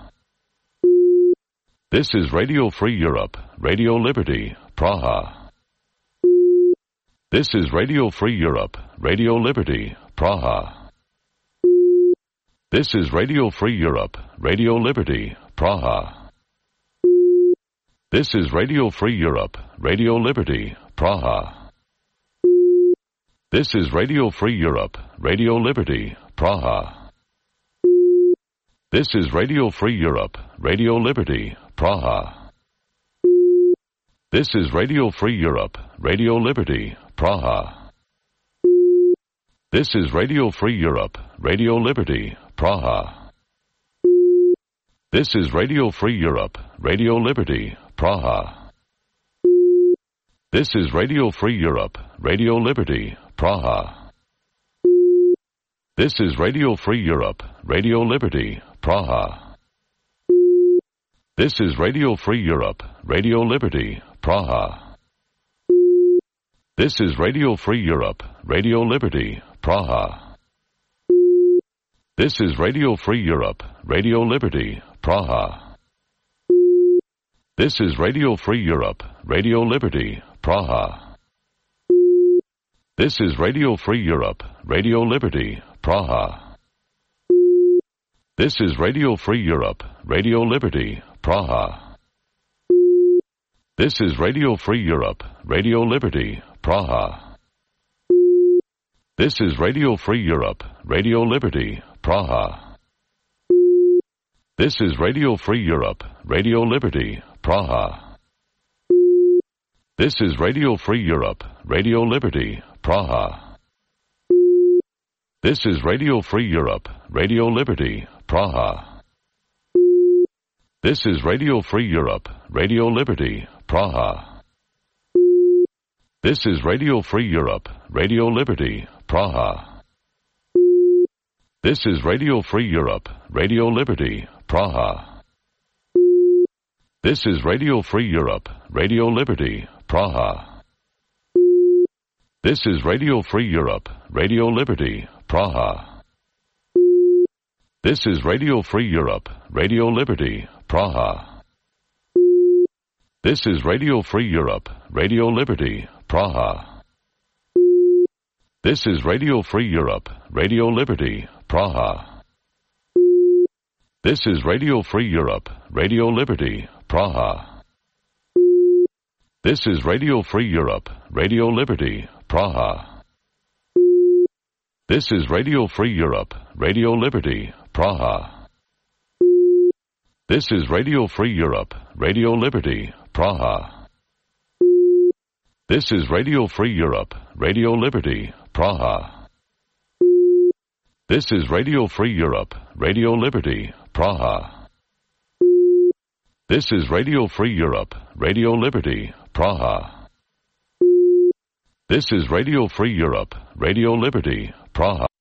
This is Radio Free Europe, Radio Liberty, Praha. This is Radio Free Europe, Radio Liberty, Praha. This is Radio Free Europe, Radio Liberty, Praha. This is Radio Free Europe, Radio Liberty, Praha. This is Radio Free Europe, Radio Liberty, Praha. This is Radio Free Europe, Radio Liberty, Praha. This is Radio Free Europe, Radio Liberty, Praha. This is Radio Free Europe, Radio Liberty, Praha. This is Radio Free Europe, Radio Liberty, Praha. This is Radio Free Europe, Radio Liberty, Praha. This is Radio Free Europe, Radio Liberty, Praha. This is Radio Free Europe, Radio Liberty, Praha. This is Radio Free Europe, Radio Liberty, Praha. This is Radio Free Europe, Radio Liberty, Praha. This is Radio Free Europe, Radio Liberty, Praha. This is Radio Free Europe, Radio Liberty, Praha. This is Radio Free Europe, Radio Liberty, Praha. This is Radio Free Europe, Radio Liberty, Praha. This is Radio Free Europe, Radio Liberty, Praha. This is Radio Free Europe, Radio Liberty, Praha. This is Radio Free Europe, Radio Liberty, Praha. This is Radio Free Europe, Radio Liberty, Praha. This is Radio Free Europe, Radio Liberty, Praha. This is Radio Free Europe, Radio Liberty, Praha. This is Radio Free Europe, Radio Liberty, Praha. This is Radio Free Europe, Radio Liberty, Praha. This is Radio Free Europe, Radio Liberty, Praha. This is Radio Free Europe, Radio Liberty, Praha. This is Radio Free Europe, Radio Liberty, Praha. This is Radio Free Europe, Radio Liberty, Praha. This is Radio Free Europe, Radio Liberty, Praha. This is Radio Free Europe, Radio Liberty, Praha. This is Radio Free Europe, Radio Liberty, Praha. This is Radio Free Europe, Radio Liberty, Praha. This is Radio Free Europe, Radio Liberty, Praha. This is Radio Free Europe, Radio Liberty, Praha. This is Radio Free Europe, Radio Liberty, Praha. This is Radio Free Europe, Radio Liberty, Praha.